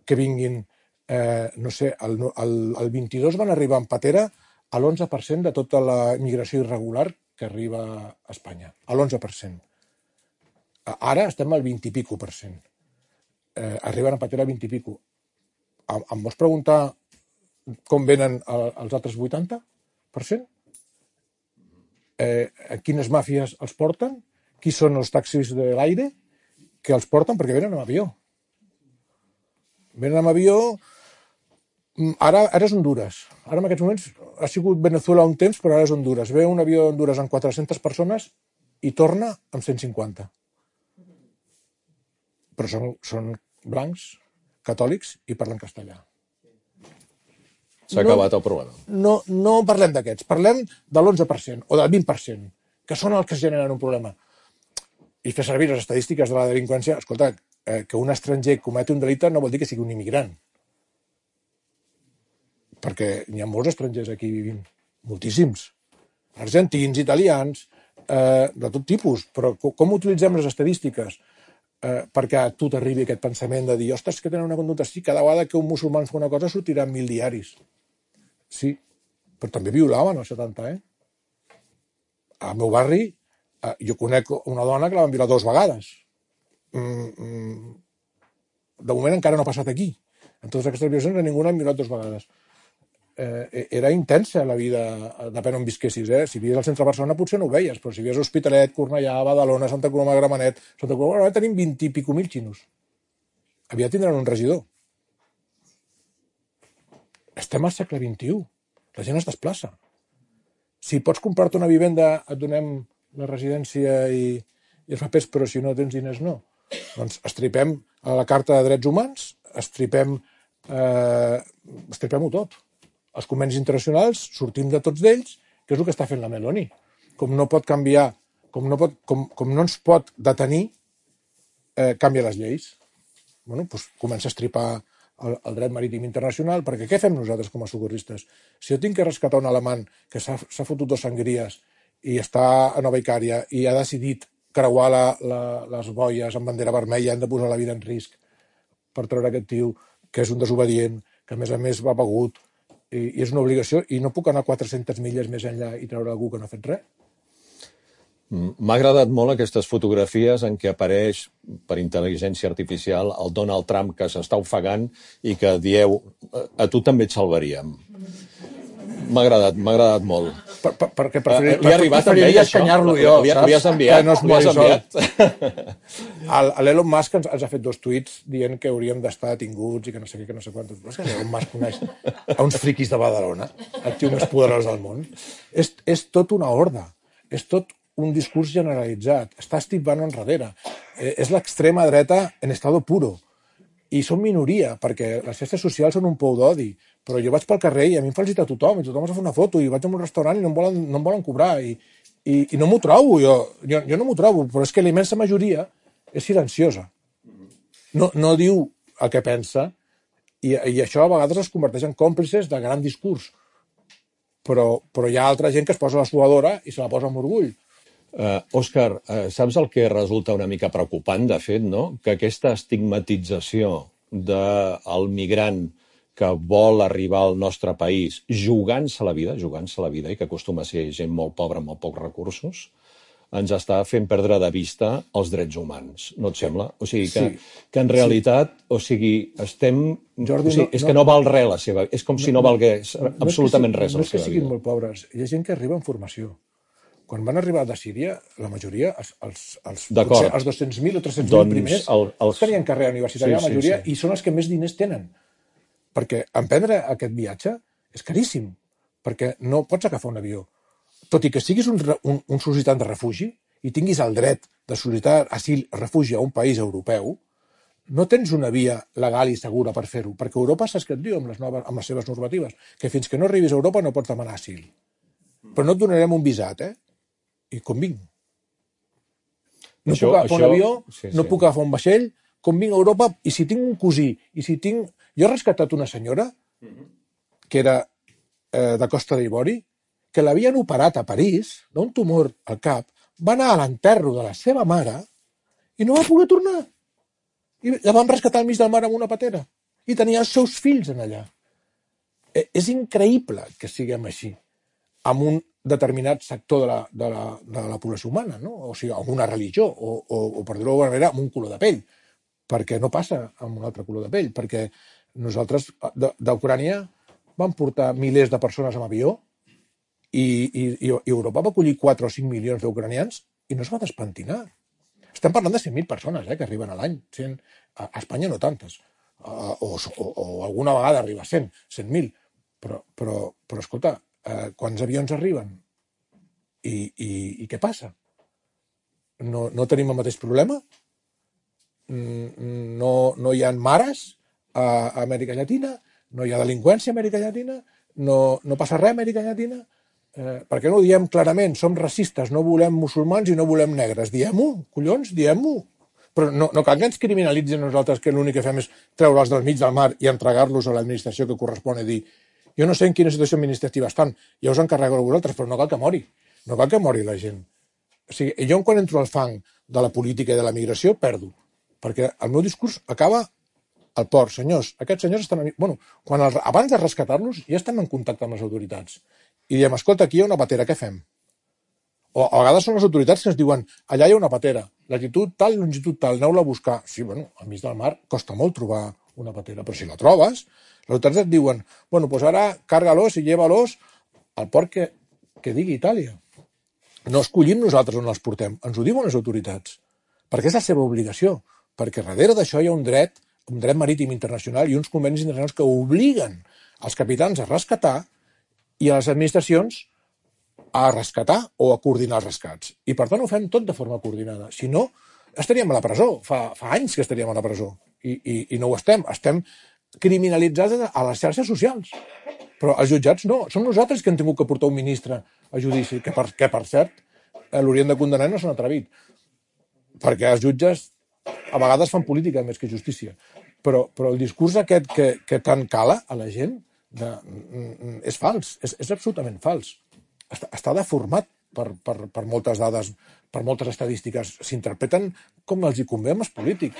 que vinguin, eh, no sé, el, el, el vint-i-dos van arribar en patera a l'onze per cent de tota la immigració irregular que arriba a Espanya. A l'onze per cent. Ara estem al vint i pico per cent. Eh, arriben a patera al vint i pico. Em, em vols preguntar com venen els altres vuitanta per cent? Eh, quines màfies els porten? Qui són els taxis de l'aire que els porten? Perquè venen amb avió. Venen amb avió... Ara, ara és Honduras. Ara en aquests moments ha sigut Venezuela un temps, però ara és Honduras. Ve un avió d'Honduras amb quatre-centes persones i torna amb cent cinquanta. Però són, són blancs, catòlics i parlen castellà. S'ha acabat el problema. No, no parlem d'aquests, parlem de l'onze per cent o del vint per cent, que són els que generen un problema. I fer servir les estadístiques de la delinqüència, escolta, eh, que un estranger cometi un delicte no vol dir que sigui un immigrant. Perquè n'hi ha molts estrangers aquí vivint, moltíssims. Argentins, italians, eh, de tot tipus. Però com utilitzem les estadístiques eh, perquè a tu t'arribi aquest pensament de dir, ostres, que tenen una conducta així, cada vegada que un musulmà fa una cosa sortiran mil diaris. Sí, però també violaven als setanta, eh? Al meu barri, eh, jo conec una dona que la van violar dues vegades. Mm, mm, de moment encara no ha passat aquí. En totes aquestes violacions ningú l'ha violat dues vegades. Eh, era intensa la vida, depèn on visquessis, eh? Si vivies al centre de Barcelona potser no ho veies, però si vivies a Hospitalet, Cornellà, Badalona, Santa Coloma de Gramenet, Santa Coloma de Gramenet tenim vint i pico mil xinos. Aviat tindran un regidor. Estem al segle vint-i-u. La gent es desplaça. Si pots comprar-te una vivenda, et donem la residència i, i els papers, però si no tens diners, no. Doncs estripem a la Carta de Drets Humans, estripem, eh, estripem-ho tot. Els convenis internacionals, sortim de tots d'ells, que és el que està fent la Meloni. Com no pot canviar, com no, pot, com, com no ens pot detenir, eh, canvia les lleis. Bueno, doncs comença a estripar el, el dret marítim internacional, perquè què fem nosaltres com a socorristes? Si jo tinc que rescatar un alemany que s'ha fotut dos sangries i està a Nova Icària i ha decidit creuar la, la, les boies amb bandera vermella, hem de posar la vida en risc per treure aquest tio, que és un desobedient, que a més a més va begut, i, i és una obligació, i no puc anar quatre-centes milles més enllà i treure algú que no ha fet res. M'ha agradat molt aquestes fotografies en què apareix per intel·ligència artificial el Donald Trump que s'està ofegant i que dieu, a tu també et salvaríem. M'ha agradat, m'ha agradat molt. Per, per, perquè preferir, uh, li ha arribat també això? Escanyar-lo jo, li, saps? Li has enviat? Que no es mori sol. L'Elon Musk ens, ens ha fet dos tuits dient que hauríem d'estar detinguts i que no sé què, que no sé quantos. Però és que l'Elon Musk coneix a uns friquis de Badalona, el tio més poderós del món. És, és tot una horda. És tot un discurs generalitzat. Està Steve Bannon darrere. Eh, és l'extrema dreta en estado puro. I són minoria, perquè les xarxes socials són un pou d'odi. Però jo vaig pel carrer i a mi em felicita tothom, i tothom es fa una foto, i vaig a un restaurant i no em volen, no em volen cobrar, i, i, i no m'ho trobo, jo, jo, jo no m'ho trobo, però és que la immensa majoria és silenciosa. No, no diu el que pensa, i, i això a vegades es converteix en còmplices de gran discurs. Però, però hi ha altra gent que es posa la suadora i se la posa amb orgull. Uh, Òscar, uh, saps el que resulta una mica preocupant, de fet, no? Que aquesta estigmatització del migrant que vol arribar al nostre país jugant-se la vida, jugant-se la vida, i que acostuma a ser gent molt pobra amb molt pocs recursos, ens està fent perdre de vista els drets humans, no et sembla? O sigui, que, Sí. que en realitat, o sigui, estem... Jordi, o sigui, no- és no- que no val res la seva... És com si no valgués absolutament no és que, res si- la no és que seva siguin vida. molt pobres, hi ha gent que arriba en formació. Quan van arribar de Síria, la majoria, els, els, els, D'acord. potser els dos-cents mil o tres-cents mil Doncs primers, el- els- tenien carrera universitària, Sí, la sí, majoria, sí. i són els que més diners tenen. Perquè emprendre aquest viatge és caríssim, perquè no pots agafar un avió. Tot i que siguis un, re- un, un sol·licitant de refugi i tinguis el dret de sol·licitar asil, refugi a un país europeu, no tens una via legal i segura per fer-ho, perquè Europa saps què et diu amb les, noves, amb les seves normatives, que fins que no arribis a Europa no pots demanar asil. Però no et donarem un visat, eh? I com vinc? No Això- puc agafar un això- avió, sí, no sí. puc agafar un vaixell, com vinc a Europa, i si tinc un cosí, i si tinc... Jo he rescatat una senyora, que era eh, de Costa d'Ivori, que l'havien operat a París, d'un tumor al cap, va anar a l'enterro de la seva mare i no va poder tornar. I la van rescatar al mig del mar amb una patera. I tenia els seus fills en allà. Eh, És increïble que siguem així, amb un determinat sector de la, de la, de la població humana, no? O sigui, amb una religió, o, o, o per dir-ho d'alguna manera, amb un color de pell, perquè no passa amb un altre color de pell, perquè nosaltres de- d'Ucrània vam portar milers de persones amb avió i, i, i Europa va acollir quatre o cinc milions d'ucranians i no es va despentinar. Estem parlant de cent mil persones eh, que arriben a l'any. cent A a Espanya no tantes. Uh, o, o, o alguna vegada arriba a cent, cent mil. Però, però, però escolta, uh, quants avions arriben? I, i, i què passa? No, no tenim el mateix problema? Mm, No, no hi ha mares a Amèrica Llatina? No hi ha delinqüència a Amèrica Llatina? No, no passa res a Amèrica Llatina? Eh, per què no ho diem clarament? Som racistes, no volem musulmans i no volem negres. Diem-ho, collons, diem-ho. Però no, no cal que ens criminalitzin nosaltres, que l'únic que fem és treure'ls del mig del mar i entregar-los a l'administració que correspon a dir jo no sé en quina situació administrativa estan, ja us encarregueu vosaltres, però no cal que mori. No cal que mori la gent. O sigui, jo quan entro al fang de la política i de la migració, perdo. Perquè el meu discurs acaba al port. Senyors, aquests senyors estan... Bueno, quan el, abans de rescatar-los ja estem en contacte amb les autoritats. I diem, escolta, aquí hi ha una patera, què fem? O a vegades són les autoritats que ens diuen allà hi ha una patera, latitud tal, longitud tal, aneu-la a buscar. Sí, bueno, al mig del mar costa molt trobar una patera, però si la trobes, les autoritats et diuen, bueno, doncs ara carga-los i lleva-los al port que, que digui Itàlia. No escollim nosaltres on els portem, ens ho diuen les autoritats, perquè és la seva obligació, perquè darrere d'això hi ha un dret, un dret marítim internacional i uns convenis internacionals que obliguen els capitans a rescatar i a les administracions a rescatar o a coordinar els rescats. I per tant ho fem tot de forma coordinada. Si no, estaríem a la presó. Fa, fa anys que estaríem a la presó. I, i, i no ho estem. Estem criminalitzats a les xarxes socials. Però els jutjats no. Són nosaltres que hem tingut que portar un ministre a judici, que per, que per cert l'haurien de condenar i no s'han atrevit. Perquè els jutges a vegades fan política més que justícia. Però, però el discurs aquest que, que tant cala a la gent de, és fals. És, és absolutament fals. Està, està deformat per, per, per moltes dades, per moltes estadístiques. S'interpreten com els hi convé amb els polítics.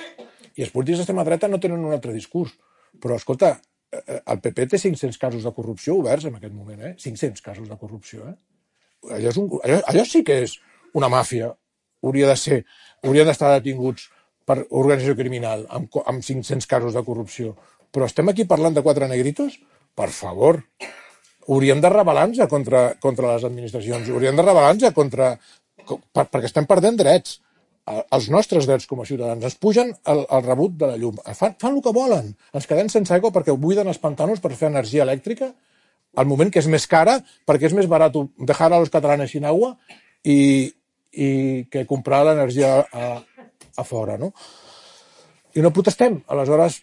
I els polítics d'extrema dreta no tenen un altre discurs. Però, escolta, el P P té cinc-cents casos de corrupció oberts en aquest moment, eh? cinc-cents casos de corrupció, eh? Allò, és un, allò, allò sí que és una màfia. Hauria de ser, haurien d'estar detinguts per organització criminal amb, amb cinc-cents casos de corrupció. Però estem aquí parlant de quatre negritos? Per favor. Hauríem de rebel·lar-nos contra, contra les administracions, hauríem de rebel·lar-nos contra... Per, perquè estem perdent drets, els nostres drets com a ciutadans. Ens pugen el, el rebut de la llum, fan, fan el que volen, ens quedem sense aigua perquè buiden els pantanos per fer energia elèctrica, al moment que és més cara, perquè és més barat deixar a los catalanes sin agua i, i que comprar l'energia a, a fora, no? I no protestem. Aleshores,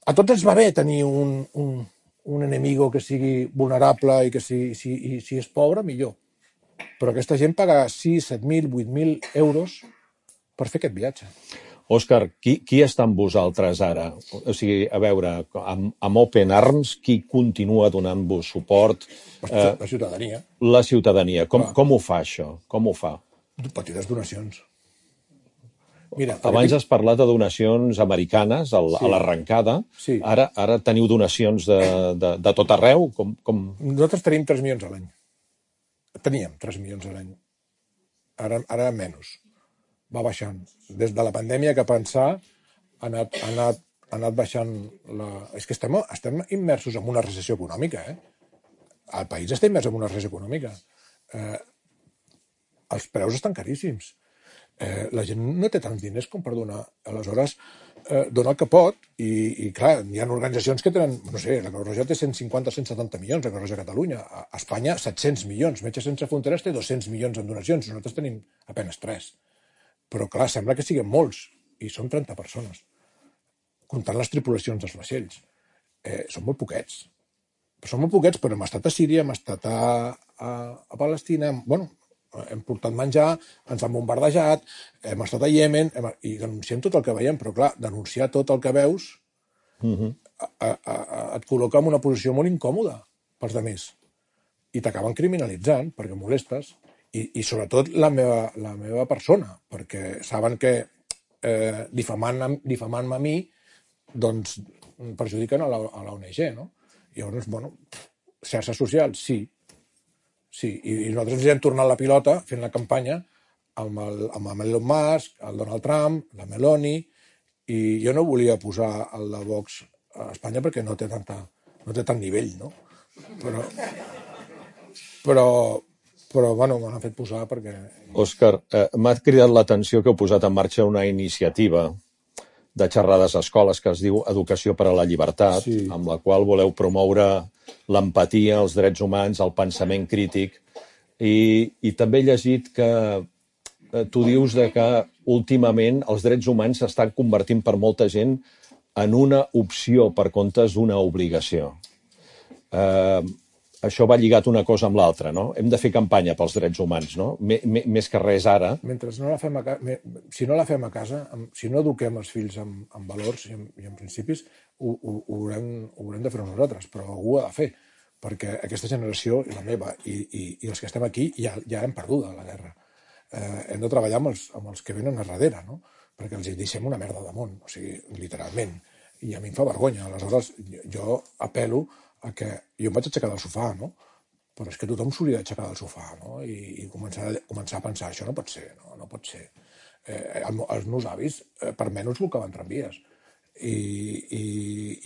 a tots ens va bé tenir un... un un enemigo que sigui vulnerable i que si, si, i si és pobre, millor. Però aquesta gent paga sis, set mil, vuit mil euros per fer aquest viatge. Òscar, qui, qui està amb vosaltres ara? O sigui, a veure, amb, amb Open Arms, qui continua donant-vos suport? La, la ciutadania. La ciutadania. Com, com ho fa, això? Com ho fa? Petites donacions. Mira, abans has parlat de donacions americanes a Sí. l'arrencada. Sí. Ara, ara teniu donacions de, de, de tot arreu? Com, com... Nosaltres tenim tres milions a l'any. Teníem tres milions a l'any. ara, ara menys. Va baixant. Des de la pandèmia que pensar ha anat, ha anat, ha anat baixant la... És que estem, estem immersos en una recessió econòmica, eh? El país està immers en una recessió econòmica. Eh, els preus estan caríssims. Eh, la gent no té tants diners com per donar. Aleshores, eh, dona el que pot i, i clar, hi ha organitzacions que tenen, no sé, la Creu Roja té cent cinquanta o cent setanta milions, la Creu Roja a Catalunya. A Espanya, set-cents milions. Metges Sense Fronteres té dos-cents milions en donacions. Nosaltres tenim apenes tres. Però clar, sembla que siguin molts. I són trenta persones. Comptant les tripulacions dels vaixells. Eh, són molt poquets. Són molt poquets, però hem estat a Síria, hem estat a, a, a Palestina, hem, bueno, hem portat menjar, ens han bombardejat, hem estat a Iemen, hem, i denunciem tot el que veiem, però clar, denunciar tot el que veus uh-huh. a, a, a, et col·loca en una posició molt incòmoda pels altres. I t'acaben criminalitzant perquè molestes, i, i sobretot la meva, la meva persona, perquè saben que eh, difamant, difamant-me a mi, doncs perjudiquen a la, a la O N G, no? I llavors, bueno, xarxes socials, sí, sí, i, i nosaltres ens hem tornat la pilota fent la campanya amb el, amb el Elon Musk, el Donald Trump, la Meloni, i jo no volia posar el de Vox a Espanya perquè no té, tanta, no té tant nivell, no? Però, però, però bueno, me l'han fet posar perquè... Òscar, eh, m'ha cridat l'atenció que heu posat en marxa una iniciativa de xerrades a escoles que es diu Educació per a la Llibertat, sí. Amb la qual voleu promoure l'empatia, els drets humans, el pensament crític. I, i també he llegit que eh, tu dius de que últimament els drets humans s'estan convertint per molta gent en una opció per comptes d'una obligació. Eh, això va lligat una cosa amb l'altra, no? Hem de fer campanya pels drets humans, no? M més que res ara. Mentre no la fem a casa, si no la fem a casa, si no eduquem els fills amb, amb valors i amb, i amb principis, ho, ho, ho, haurem, ho haurem de fer nosaltres, però algú ho ha de fer, perquè aquesta generació, la meva, i, i, i els que estem aquí, ja, ja hem perdut la guerra. Eh, hem de treballar amb els, amb els que venen a darrere, no? Perquè els hi deixem una merda de món, o sigui, literalment. I a mi em fa vergonya. Aleshores, jo, jo apel·lo a que jo em vaig aixecar del sofà, no? Però és que tothom s'hauria d'aixecar del sofà, no? I, i començar, començar a pensar, això no pot ser, no, no pot ser. Eh, el, els meus avis, eh, per menys volcaven tramvies. I, i,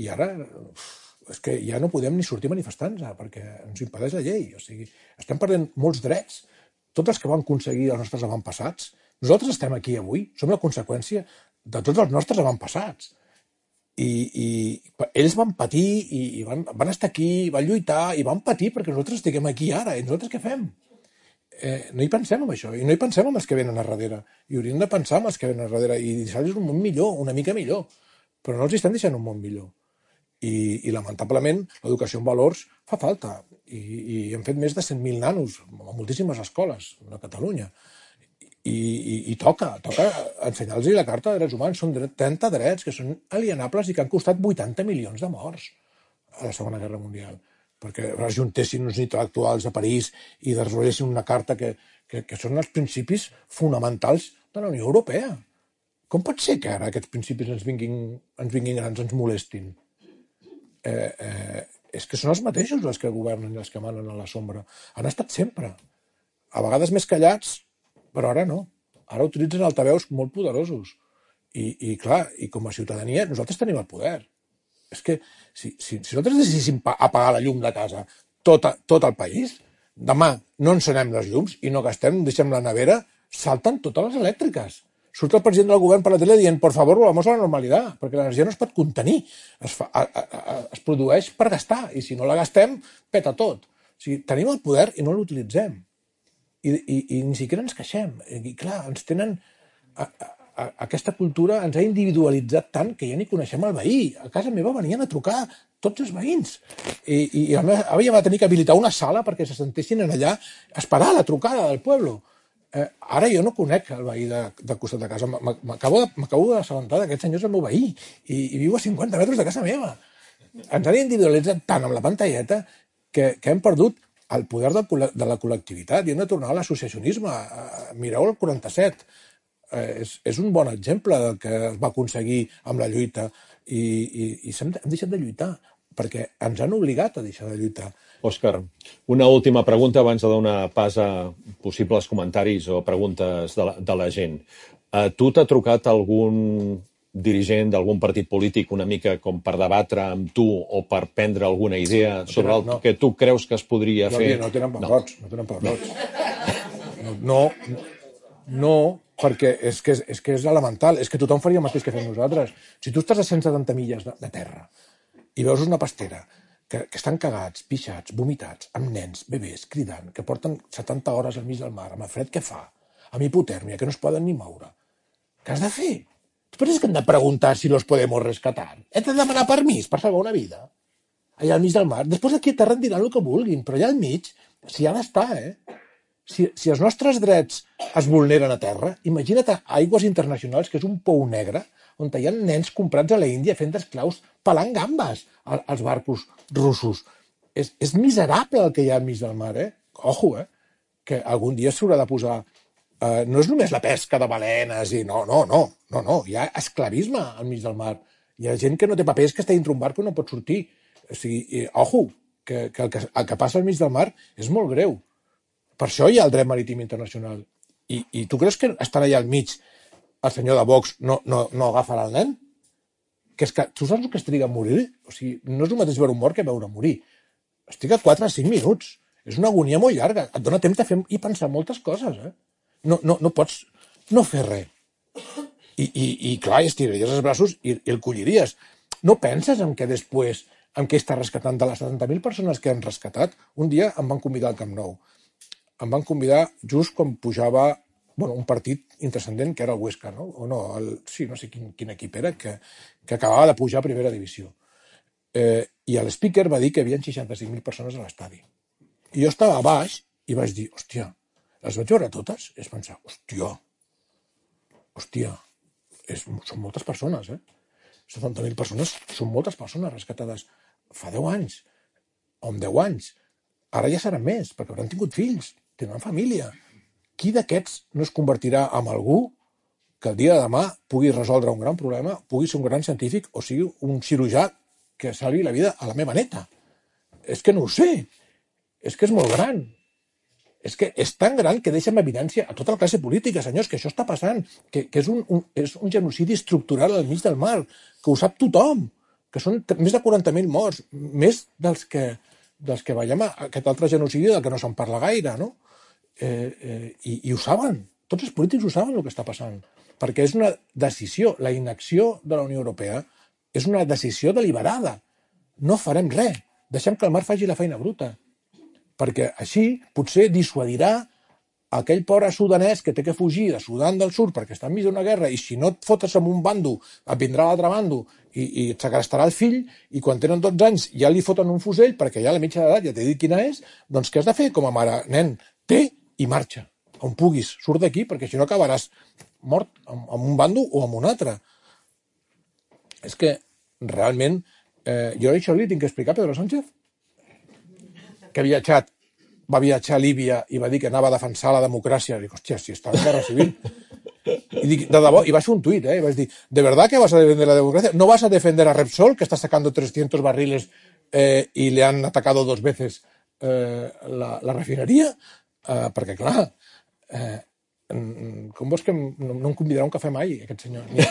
i ara, uf, és que ja no podem ni sortir manifestant-nos, perquè ens impedeix la llei. O sigui, estem perdent molts drets. Tots els que van aconseguir els nostres avantpassats, nosaltres estem aquí avui, som la conseqüència de tots els nostres avantpassats. I, i ells van patir i, i van, van estar aquí, van lluitar i van patir perquè nosaltres estiguem aquí ara. I nosaltres què fem? Eh, no hi pensem en això, i no hi pensem en els que venen a darrere. I hauríem de pensar en els que venen a darrere i deixar-los un món millor, una mica millor. Però no els estem deixant un món millor. I, i lamentablement, l'educació en valors fa falta. I, i hem fet més de cent mil nanos a moltíssimes escoles de Catalunya. I, i, i toca, toca ensenyar-los la Carta de Drets Humans. Són trenta drets que són alienables i que han costat vuitanta milions de morts a la Segona Guerra Mundial, perquè rejuntessin uns intel·lectuals a París i desarrollessin una carta que, que, que són els principis fonamentals de la Unió Europea. Com pot ser que ara aquests principis ens vinguin, ens vinguin grans, ens molestin? Eh, eh, és que són els mateixos els que governen i els que manen a la sombra. Han estat sempre. A vegades més callats, però ara no. Ara utilitzen altaveus molt poderosos. I, i clar, i com a ciutadania nosaltres tenim el poder. És que si, si, si nosaltres decidíssim apagar la llum de casa tot, tot el país, demà no encenem les llums i no gastem, deixem la nevera, salten totes les elèctriques. Surt el president del govern per la tele dient por favor, volvamos a la normalitat, perquè l'energia no es pot contenir. Es, fa, a, a, a, es produeix per gastar, i si no la gastem, peta tot. O sigui, tenim el poder i no l'utilitzem. I, i, i ni siquiera ens queixem. I clar, ens tenen... A, a, aquesta cultura ens ha individualitzat tant que ja ni coneixem el veí. A casa meva venien a trucar tots els veïns. I, i la meva àvia va tenir que habilitar una sala perquè se sentessin allà a esperar la trucada del poble. Eh, ara jo no conec el veí de, de costat de casa. M'acabo d'assabentar d'aquest senyor és el meu veí i, i viu a cinquanta metres de casa meva. Ens han individualitzat tant amb la pantalleta que, que hem perdut el poder de, de la col·lectivitat i hem de tornar a l'associacionisme. Mireu el quaranta-set. Eh, és, és un bon exemple del que es va aconseguir amb la lluita i, i, i hem, hem deixat de lluitar. perquè ens han obligat a deixar de lluitar. Òscar, una última pregunta abans de donar pas a possibles comentaris o preguntes de la, de la gent. A tu t'ha trucat algun dirigent d'algun partit polític una mica com per debatre amb tu o per prendre alguna idea sobre el no. que tu creus que es podria No, fer? no tenen pebrots, no, no tenen pebrots. No, no, no, perquè és que és, és que és elemental, és que tothom faria el mateix que fem nosaltres. Si tu estàs a cent setanta milles de, de terra i veus una pastera que, que estan cagats, pixats, vomitats, amb nens, bebès, cridant, que porten setanta hores al mig del mar, amb el fred que fa, amb hipotèrmia, que no es poden ni moure, què has de fer? Tu penses que hem de preguntar si los podemos rescatar? Hem de demanar permís per salvar una vida? Allà al mig del mar. Després aquí a terra en diran el que vulguin, però allà al mig s'hi ha d'estar, eh? Si, si els nostres drets es vulneren a terra, imagina't a aigües internacionals, que és un pou negre, on hi ha nens comprats a la Índia fent d'esclaus pelant gambes als barcos russos. És, és miserable el que hi ha al mig del mar, eh? Ojo, eh? Que algun dia s'haurà de posar... Uh, no és només la pesca de balenes i no, no, no, no, no, hi ha esclavisme al mig del mar. Hi ha gent que no té papers, que està dintre un barco i no pot sortir. O sigui, eh, ojo, que, que, el que el que passa al mig del mar és molt greu. Per això hi ha el dret marítim internacional. I, i tu creus que estan allà al mig el senyor de Vox no, no, no agafarà el nen? Que és que, tu saps el que es triga a morir? O sigui, no és el mateix veure un mort que veure morir. Es triga quatre a cinc minuts. És una agonia molt llarga. Et dona temps de fer i pensar moltes coses, eh? No, no, no pots no fer res. I, i, i clar, estiraries els braços i, i el colliries. No penses en què després, en què està rescatant de les setanta mil persones que han rescatat? Un dia em van convidar al Camp Nou. Em van convidar just quan pujava bueno, un partit intrascendent que era el Huesca, no? O no, el, sí, no sé quin, quin equip era, que, que acabava de pujar a primera divisió. Eh, I el speaker va dir que hi havia seixanta-cinc mil persones a l'estadi. I jo estava a baix i vaig dir, hòstia, les vaig veure totes? I vaig pensar, hòstia, hòstia, és, són moltes persones, eh? setanta mil persones són moltes persones rescatades fa deu anys, o amb deu anys. Ara ja seran més, perquè hauran tingut fills, tindran família. Qui d'aquests no es convertirà en algú que el dia de demà pugui resoldre un gran problema, pugui ser un gran científic o sigui un cirurgià que salvi la vida a la meva neta? És que no ho sé. És que és molt gran. És que és tan gran que deixa en evidència a tota la classe política, senyors, que això està passant, que, que és, un, un, és un genocidi estructural al mig del mar, que ho sap tothom, que són més de quaranta mil morts, més dels que, dels que veiem aquest altre genocidi del que no se'n parla gaire, no? Eh, eh, i, i ho saben, tots els polítics ho saben el que està passant, perquè és una decisió, la inacció de la Unió Europea és una decisió deliberada. No farem res, deixem que el mar faci la feina bruta, perquè així potser dissuadirà aquell pobre sudanès que té que fugir de Sudan del Sud perquè està enmig d'una guerra i si no et fotes amb un bando et vindrà l'altre bando i, i et segrestarà el fill i quan tenen dotze anys ja li foten un fusell perquè ja a la mitja d'edat ja t'he dit quina és, doncs què has de fer com a mare? Nen, té i marxa, on puguis, surt d'aquí perquè si no acabaràs mort amb, amb un bando o amb un altre. És que realment eh, jo això li tinc que explicar a Pedro Sánchez, que ha viatjat, va viatjar a Líbia i va dir que anava a defensar la democràcia. Dic, hòstia, si està en guerra civil. I dic, de debò, i vaig fer un tuit, eh? I vaig dir, ¿de verdad que vas a defender la democracia? ¿No vas a defender a Repsol, que está sacando trescientos barriles eh, y le han atacado dos veces eh, la, la refineria? Eh, perquè, clar, eh, com vols que no, no em convidarà un cafè mai, aquest senyor? Ni,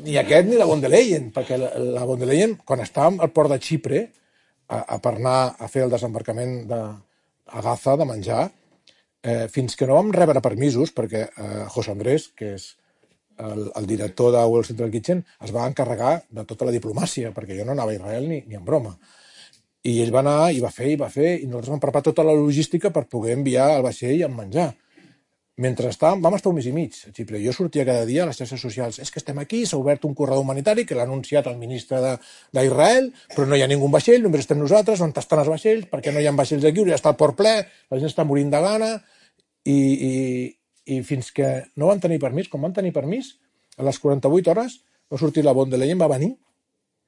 ni aquest ni la von der Leyen, perquè la, la von der Leyen, quan estàvem al port de Xipre, A, a per anar a fer el desembarcament de, a Gaza de menjar, eh, fins que no vam rebre permisos, perquè eh, José Andrés, que és el, el director de World Central Kitchen, es va encarregar de tota la diplomàcia, perquè jo no anava a Israel ni, ni en broma. I ell va anar, i va fer, i va fer, i nosaltres vam preparar tota la logística per poder enviar el vaixell amb menjar. Mentre estàvem, vam estar un mes i mig a Xipre. Jo sortia cada dia a les xarxes socials. És que estem aquí, s'ha obert un corredor humanitari que l'ha anunciat el ministre d'Israel, però no hi ha ningú vaixell, només estem nosaltres, on estan els vaixells, perquè no hi ha vaixells aquí, ja està el port ple, la gent està morint de gana, i, i, i fins que no van tenir permís, com van tenir permís, a les quaranta-vuit hores va sortir la von der Leyen, va venir,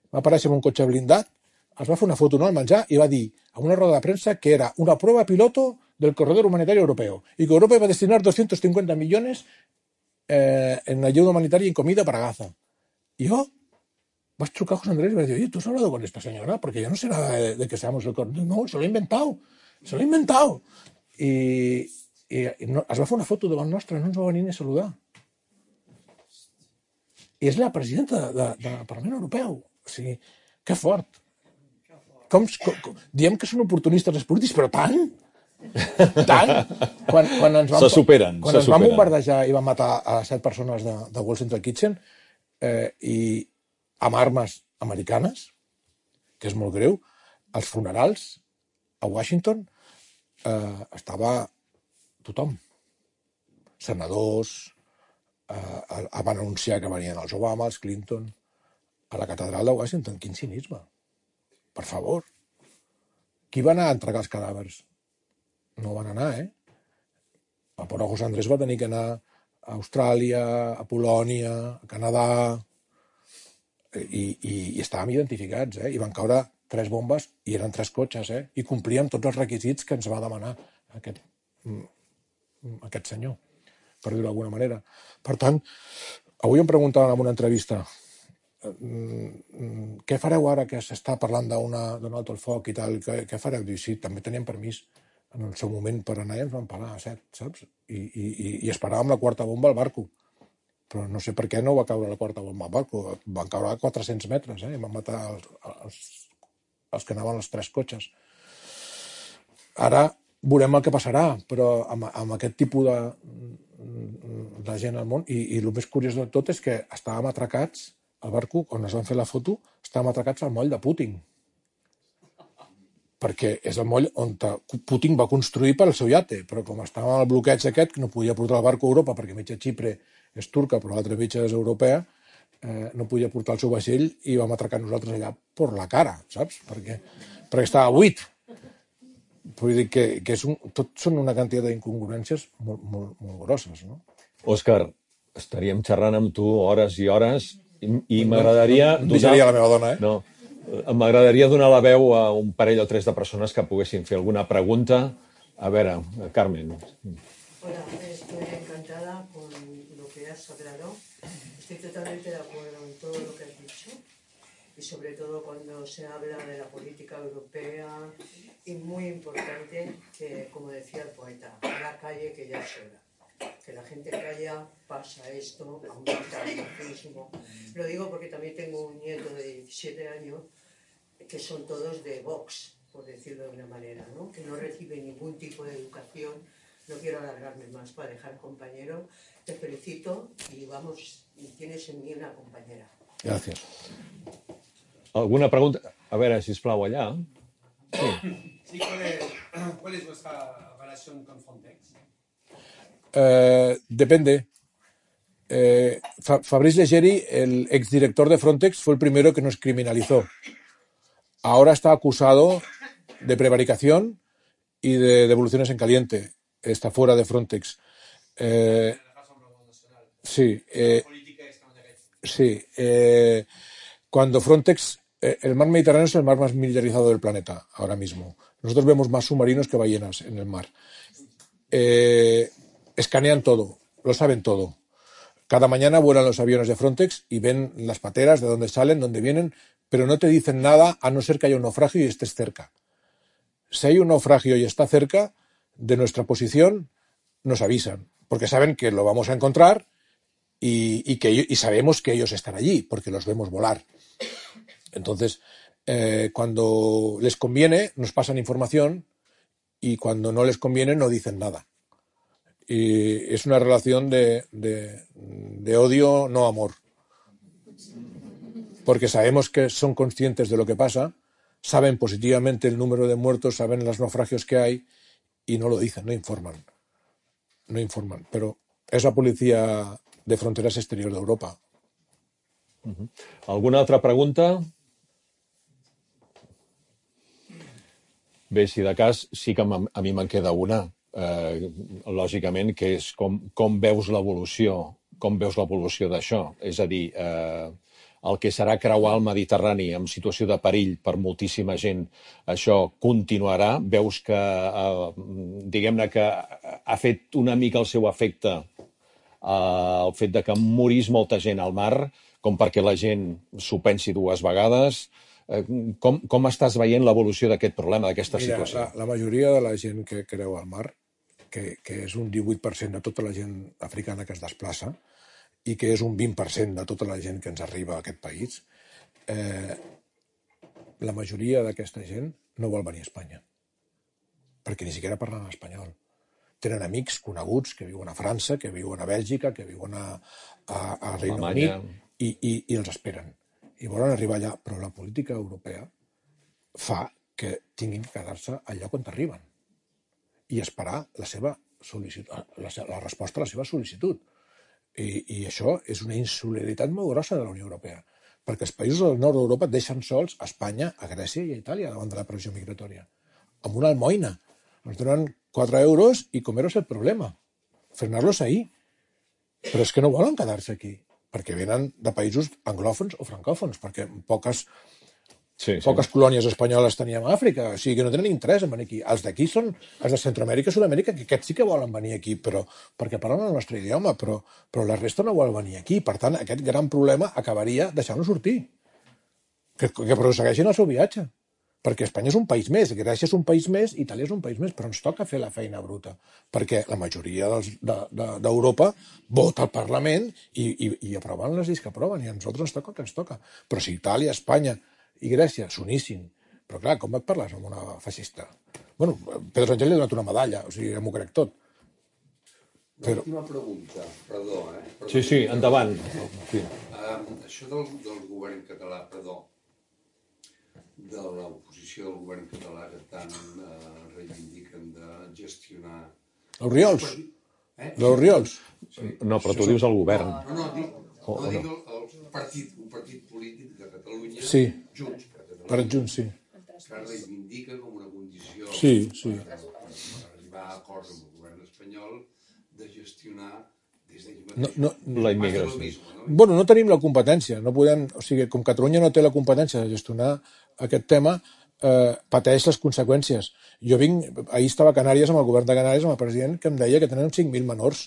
va aparèixer en un cotxe blindat, es va fer una foto no, al menjar i va dir a una roda de premsa que era una prueba piloto del corredor humanitario europeo y que Europa iba a destinar doscientos cincuenta millones eh, en ayuda humanitaria y en comida para Gaza. ¿Y yo? vas trucar a José Andrés y vas a decir, oye, ¿tú has hablado con esta señora? Porque yo no sé nada de, de que seamos el cor... No, se lo he inventado, se lo he inventado. I, i, i no, es va fer una foto davant nostra, no ens va venir ni a saludar. I és la presidenta de, de, del Parlament Europeu. O sigui, que fort. Com, com, com, diem que són oportunistes els polítics, però tant? Tant? Quan, quan ens van, se superen. Quan se ens van superen. bombardejar i van matar a set persones de, de World Central Kitchen eh, i amb armes americanes, que és molt greu, als funerals a Washington eh, estava tothom. Senadors, eh, van anunciar que venien els Obama, els Clinton, a la catedral de Washington. Quin cinisme. Per favor. Qui va anar a entregar els cadàvers? No van anar, eh? El pobre José Andrés va tenir que anar a Austràlia, a Polònia, a Canadà, i, i, i estàvem identificats, eh? I van caure tres bombes i eren tres cotxes, eh? I complíem tots els requisits que ens va demanar aquest, aquest senyor, per dir-ho d'alguna manera. Per tant, avui em preguntaven en una entrevista què fareu ara que s'està parlant d'un alto el foc i tal, què, què fareu? Diu, sí, també teníem permís en el seu moment per anar i ens van parar a set, saps? I, i, i esperàvem la quarta bomba al barco. Però no sé per què no va caure la quarta bomba al barco. Van caure a quatre-cents metres, eh? I van matar els, els, els que anaven als tres cotxes. Ara veurem el que passarà, però amb, amb aquest tipus de, de gent al món, i, i el més curiós de tot és que estàvem atracats al barco, quan es van fer la foto, estàvem atracats al moll de Putin. Perquè és el moll on Putin va construir per al seu iate, però com estava en el bloqueig aquest, que no podia portar el barco a Europa, perquè mitja Xipre és turca, però l'altra mitja és europea, eh, no podia portar el seu vaixell i vam atracar nosaltres allà per la cara, saps? Perquè, perquè estava buit. Vull dir que, que és un, tot són una quantitat d'incongruències molt, molt, molt grosses, no? Òscar, estaríem xerrant amb tu hores i hores i, i m'agradaria... No, no, no deixaria la meva dona, eh? No, m'agradaria donar la veu a un parell o tres de persones que poguessin fer alguna pregunta. A veure, Carmen. Hola, estoy encantada con lo que has hablado. Estoy totalmente de acuerdo en todo lo que has dicho y sobre todo cuando se habla de la política europea y muy importante que, como decía el poeta, a la calle que ya es hora. Que la gente calla, pasa esto, aumenta el racismo. Lo digo porque también tengo un nieto de diecisiete años que son todos de Vox, por decirlo de una manera, ¿no? Que no recibe ningún tipo de educación. No quiero alargarme más para dejar compañero. Te felicito y vamos, tienes en mí una compañera. Gràcies. Alguna pregunta? A veure, sisplau, allà. Sí. Sí, ¿cuál es, ¿cuál es vuestra relación con Frontex? Eh, depende. Eh, Fabrice Leggeri, el exdirector de Frontex, fue el primero que nos criminalizó. Ahora está acusado de prevaricación y de devoluciones en caliente. Está fuera de Frontex. Eh, sí. Eh, sí. Eh, cuando Frontex... Eh, el mar Mediterráneo es el mar más militarizado del planeta ahora mismo. Nosotros vemos más submarinos que ballenas en el mar. Eh, escanean todo, lo saben todo. Cada mañana vuelan los aviones de Frontex y ven las pateras, de dónde salen, dónde vienen, pero no te dicen nada a no ser que haya un naufragio y estés cerca. Si hay un naufragio y está cerca de nuestra posición, nos avisan, porque saben que lo vamos a encontrar y, y, que, y sabemos que ellos están allí, porque los vemos volar. Entonces, eh, cuando les conviene, nos pasan información y cuando no les conviene, no dicen nada. Y es una relación de, de, de odio, no amor. Porque sabemos que son conscientes de lo que pasa, saben positivamente el número de muertos, saben los naufragios que hay y no lo dicen, no informan. No informan. Pero es la policía de fronteras exterior de Europa. Uh-huh. Alguna altra pregunta? Bé, si de cas, sí que a mi me'n queda una, eh, lògicament, que és com, com veus l'evolució, com veus l'evolució d'això. És a dir, eh, el que serà creuar el Mediterrani en situació de perill per moltíssima gent, això continuarà. Veus que, eh, diguem-ne que ha fet una mica el seu efecte el fet de que morís molta gent al mar, com perquè la gent s'ho pensi dues vegades. Com, com estàs veient l'evolució d'aquest problema, d'aquesta Mira, situació? La, la majoria de la gent que creu al mar, que, que és un divuit per cent de tota la gent africana que es desplaça i que és un vint per cent de tota la gent que ens arriba a aquest país, eh, la majoria d'aquesta gent no vol venir a Espanya, perquè ni siquiera parlen espanyol. Tenen amics coneguts que viuen a França, que viuen a Bèlgica, que viuen a, a, a Regne Alemanya. Unit i, i, i els esperen. I volen arribar allà, però la política europea fa que tinguin que quedar-se al lloc on arriben i esperar la seva sol·licitud, la, la resposta a la seva sol·licitud. I, I això és una insolidaritat molt grossa de la Unió Europea, perquè els països del nord d'Europa deixen sols a Espanya, a Grècia i a Itàlia davant de la pressió migratòria. Amb una almoina. Ens donen quatre euros i comer-los el problema. Frenar-los ahí. Però és que no volen quedar-se aquí, perquè venen de països anglòfons o francòfons, perquè poques, Sí, sí. poques colònies espanyoles teníem a Àfrica, o sigui que no tenen interès en venir aquí. Els d'aquí són els de Centroamèrica i Sud-amèrica, que aquests sí que volen venir aquí, però perquè parlen el nostre idioma, però, però la resta no vol venir aquí. Per tant, aquest gran problema acabaria deixant-los sortir, que, que prossegueixin el seu viatge. Perquè Espanya és un país més, Grècia és un país més, Itàlia és un país més, però ens toca fer la feina bruta, perquè la majoria d'Europa de, de, vota al Parlament i, i, i aproven les lleis que aproven, i a nosaltres ens toca el que ens toca. Però si Itàlia, Espanya i Grècia s'unissin, però clar, com et parles amb una feixista? Bueno, Pedro Sánchez li ha donat una medalla, o sigui, m'ho crec tot. Però... Una pregunta, perdó, eh? Perdó. Sí, sí, endavant. Sí. Um, això del, del govern català, perdó, de l'oposició del govern català que tant eh, reivindiquen de gestionar... Els Riols? Eh? Els Riols? Sí. No, però tu dius el govern. No, no, dic, no, dic el, el partit, un partit polític de Catalunya, Sí. Junts per Catalunya, Per Junts, sí. que reivindica com una condició Sí, sí. per, per arribar a acords amb el govern espanyol de gestionar des d'ells No, mateixos. no, La immigració. Mismo, no? Bueno, no tenim la competència, no podem, o sigui, com Catalunya no té la competència de gestionar aquest tema, eh, pateix les conseqüències. Jo vinc, ahir estava a Canàries amb el govern de Canàries, amb el president, que em deia que tenen cinc mil menors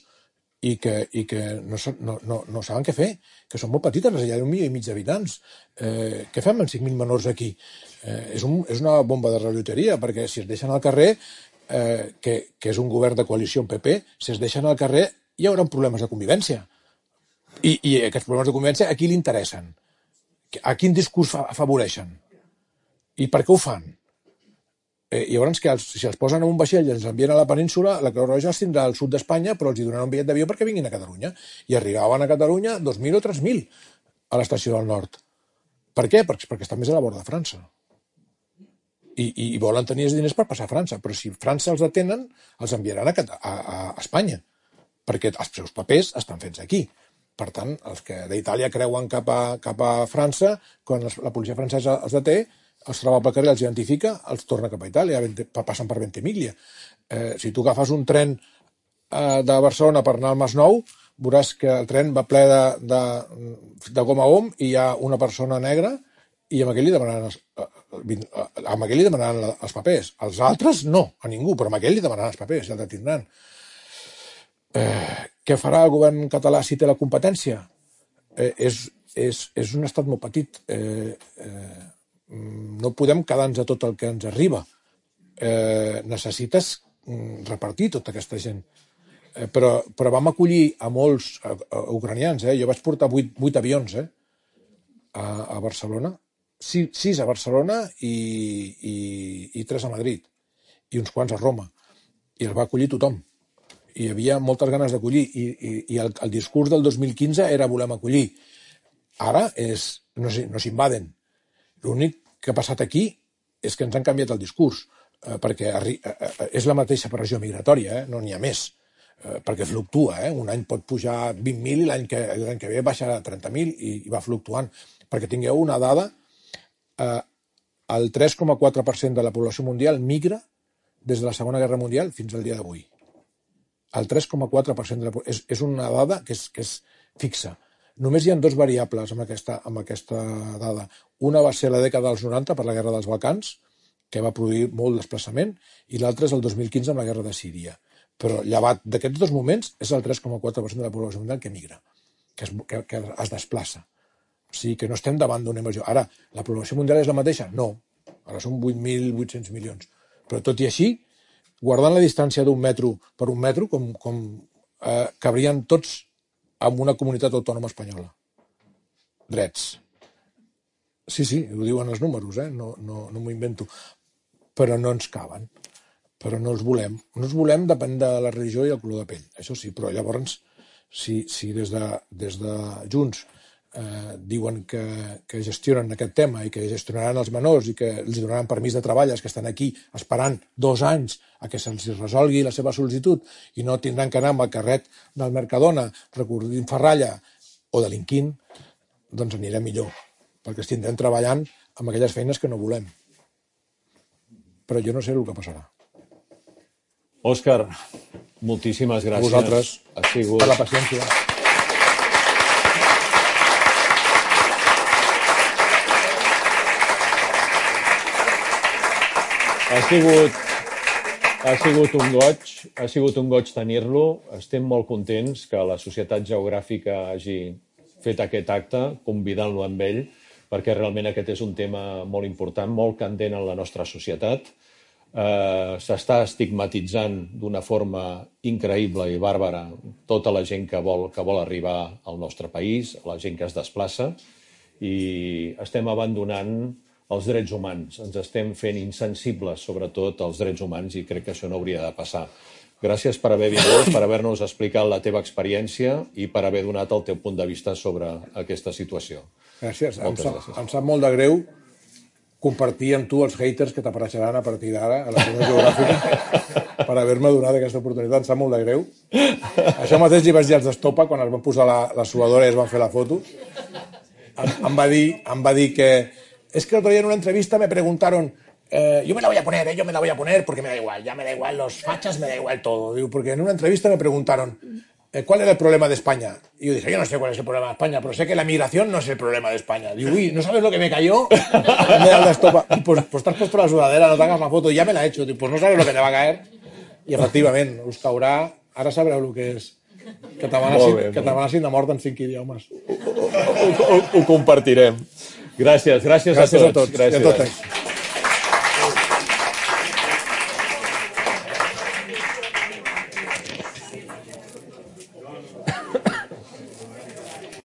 i que, i que no, no, no, no saben què fer, que són molt petites, les illes d'un milió i mig d'habitants. Eh, què fem amb cinc mil menors aquí? Eh, és, un, és una bomba de reloteria, perquè si es deixen al carrer, eh, que, que és un govern de coalició amb P P, si es deixen al carrer hi haurà problemes de convivència. I, i aquests problemes de convivència a qui li interessen? A quin discurs afavoreixen? I per què ho fan? Eh, llavors, que els, si els posen en un vaixell i els envien a la península, la Creu Roja els tindrà al sud d'Espanya, però els hi donaran un bitllet d'avió perquè vinguin a Catalunya. I arribaven a Catalunya dos mil o tres mil a l'estació del nord. Per què? Perquè, perquè estan més a la vora de França. I, i, i volen tenir els diners per passar a França. Però si França els detenen, els enviaran a, a, a Espanya, perquè els seus papers estan fets aquí. Per tant, els que d'Itàlia creuen cap a, cap a França, quan la policia francesa els deté, els troba pel carrer, els identifica, els torna cap a Itàlia, passen per Ventimiglia. Eh, si tu agafes un tren eh, de Barcelona per anar al Masnou, veuràs que el tren va ple de, de, de gom a gom i hi ha una persona negra i amb aquell li demanaran els, amb aquell li demanaran els papers. Els altres no, a ningú, però amb aquell li demanaran els papers i el detindran. Eh, què farà el govern català si té la competència? Eh, és, és, és un estat molt petit. Eh, eh, no podem quedar-nos a tot el que ens arriba. Eh, necessites repartir tota aquesta gent. Eh, però, però vam acollir a molts a, a ucranians. Eh? Jo vaig portar vuit, vuit avions eh? a, a Barcelona, sis, sis a Barcelona i, i, i tres a Madrid, i uns quants a Roma. I els va acollir tothom. I hi havia moltes ganes d'acollir. I, i, i el, el discurs del dos mil quinze era volem acollir. Ara és, no, no s'invaden. L'únic que ha passat aquí és que ens han canviat el discurs, eh, perquè arri eh, és la mateixa pressió migratòria, eh? No n'hi ha més, eh, perquè fluctua. Eh? Un any pot pujar vint mil i l'any que, l'any que ve baixarà a trenta mil i, i va fluctuant. Perquè tingueu una dada, eh, el tres coma quatre per cent de la població mundial migra des de la Segona Guerra Mundial fins al dia d'avui. El tres coma quatre per cent de la població. És, és una dada que és, que és fixa. Només hi ha dos variables amb aquesta, amb aquesta dada. Una va ser la dècada dels noranta per la Guerra dels Balcans, que va produir molt desplaçament, i l'altra és el dos mil quinze amb la Guerra de Síria. però llevat d'aquests dos moments és el tres coma quatre per cent de la població mundial que migra, que es, que, que es desplaça. O sigui que no estem davant d'una invasió. Ara, la població mundial és la mateixa? No. Ara són vuit mil vuit-cents milions. Però tot i així, guardant la distància d'un metro per un metro, com, com eh, cabrien tots en una comunitat autònoma espanyola. Drets. Sí, sí, ho diuen els números, eh? no, no, no m'ho invento. Però no ens caben. Però no els volem. No els volem depèn de la religió i el color de pell. Això sí, però llavors, si, si des, de, des de Junts eh, diuen que, que gestionen aquest tema i que gestionaran els menors i que els donaran permís de treball als que estan aquí esperant dos anys a que se'ls resolgui la seva sol·licitud i no tindran que anar amb el carret del Mercadona recorrint ferralla o delinquint, doncs anirà millor, perquè estindrem treballant amb aquelles feines que no volem. Però jo no sé el que passarà. Òscar, moltíssimes gràcies. A vosaltres, ha sigut... per la paciència. Ha sigut, ha sigut un goig, ha sigut un goig tenir-lo. Estem molt contents que la Societat Geogràfica hagi fet aquest acte, convidant-lo amb ell, perquè realment aquest és un tema molt important, molt candent en la nostra societat. Eh, s'està estigmatitzant d'una forma increïble i bàrbara tota la gent que vol, que vol arribar al nostre país, la gent que es desplaça, i estem abandonant els drets humans. Ens estem fent insensibles, sobretot, als drets humans, i crec que això no hauria de passar. Gràcies per haver vingut, per haver-nos explicat la teva experiència i per haver donat el teu punt de vista sobre aquesta situació. Gràcies. Em Moltes sap, gràcies. em sap molt de greu compartir amb tu els haters que t'apareixeran a partir d'ara a la Societat Geogràfica per haver-me donat aquesta oportunitat. Em sap molt de greu. Això mateix li vaig dir als d'Estopa quan es van posar la, la suadora i es van fer la foto. Em, em, va dir, em va dir que es que otro día en una entrevista me preguntaron Eh, yo me la voy a poner, eh, yo me la voy a poner porque me da igual, ya me da igual los fachas, me da igual todo. Digo, porque en una entrevista me preguntaron eh, ¿cuál era el problema de España? Y yo dije, yo no sé cuál es el problema de España, pero sé que la migración no es el problema de España. Digo, uy, ¿no sabes lo que me cayó? Me da la estopa. Y pues, pues te has puesto la sudadera, no te hagas la foto, ya me la he hecho. Digo, pues no sabes lo que te va a caer. I efectivament, us caurà, ara sabreu el que és que t'amenacin de mort en cinc idiomes. Ho, ho, ho compartirem. Gràcies, gràcies, Gràcies a tots. a tots. Gràcies. I a totes.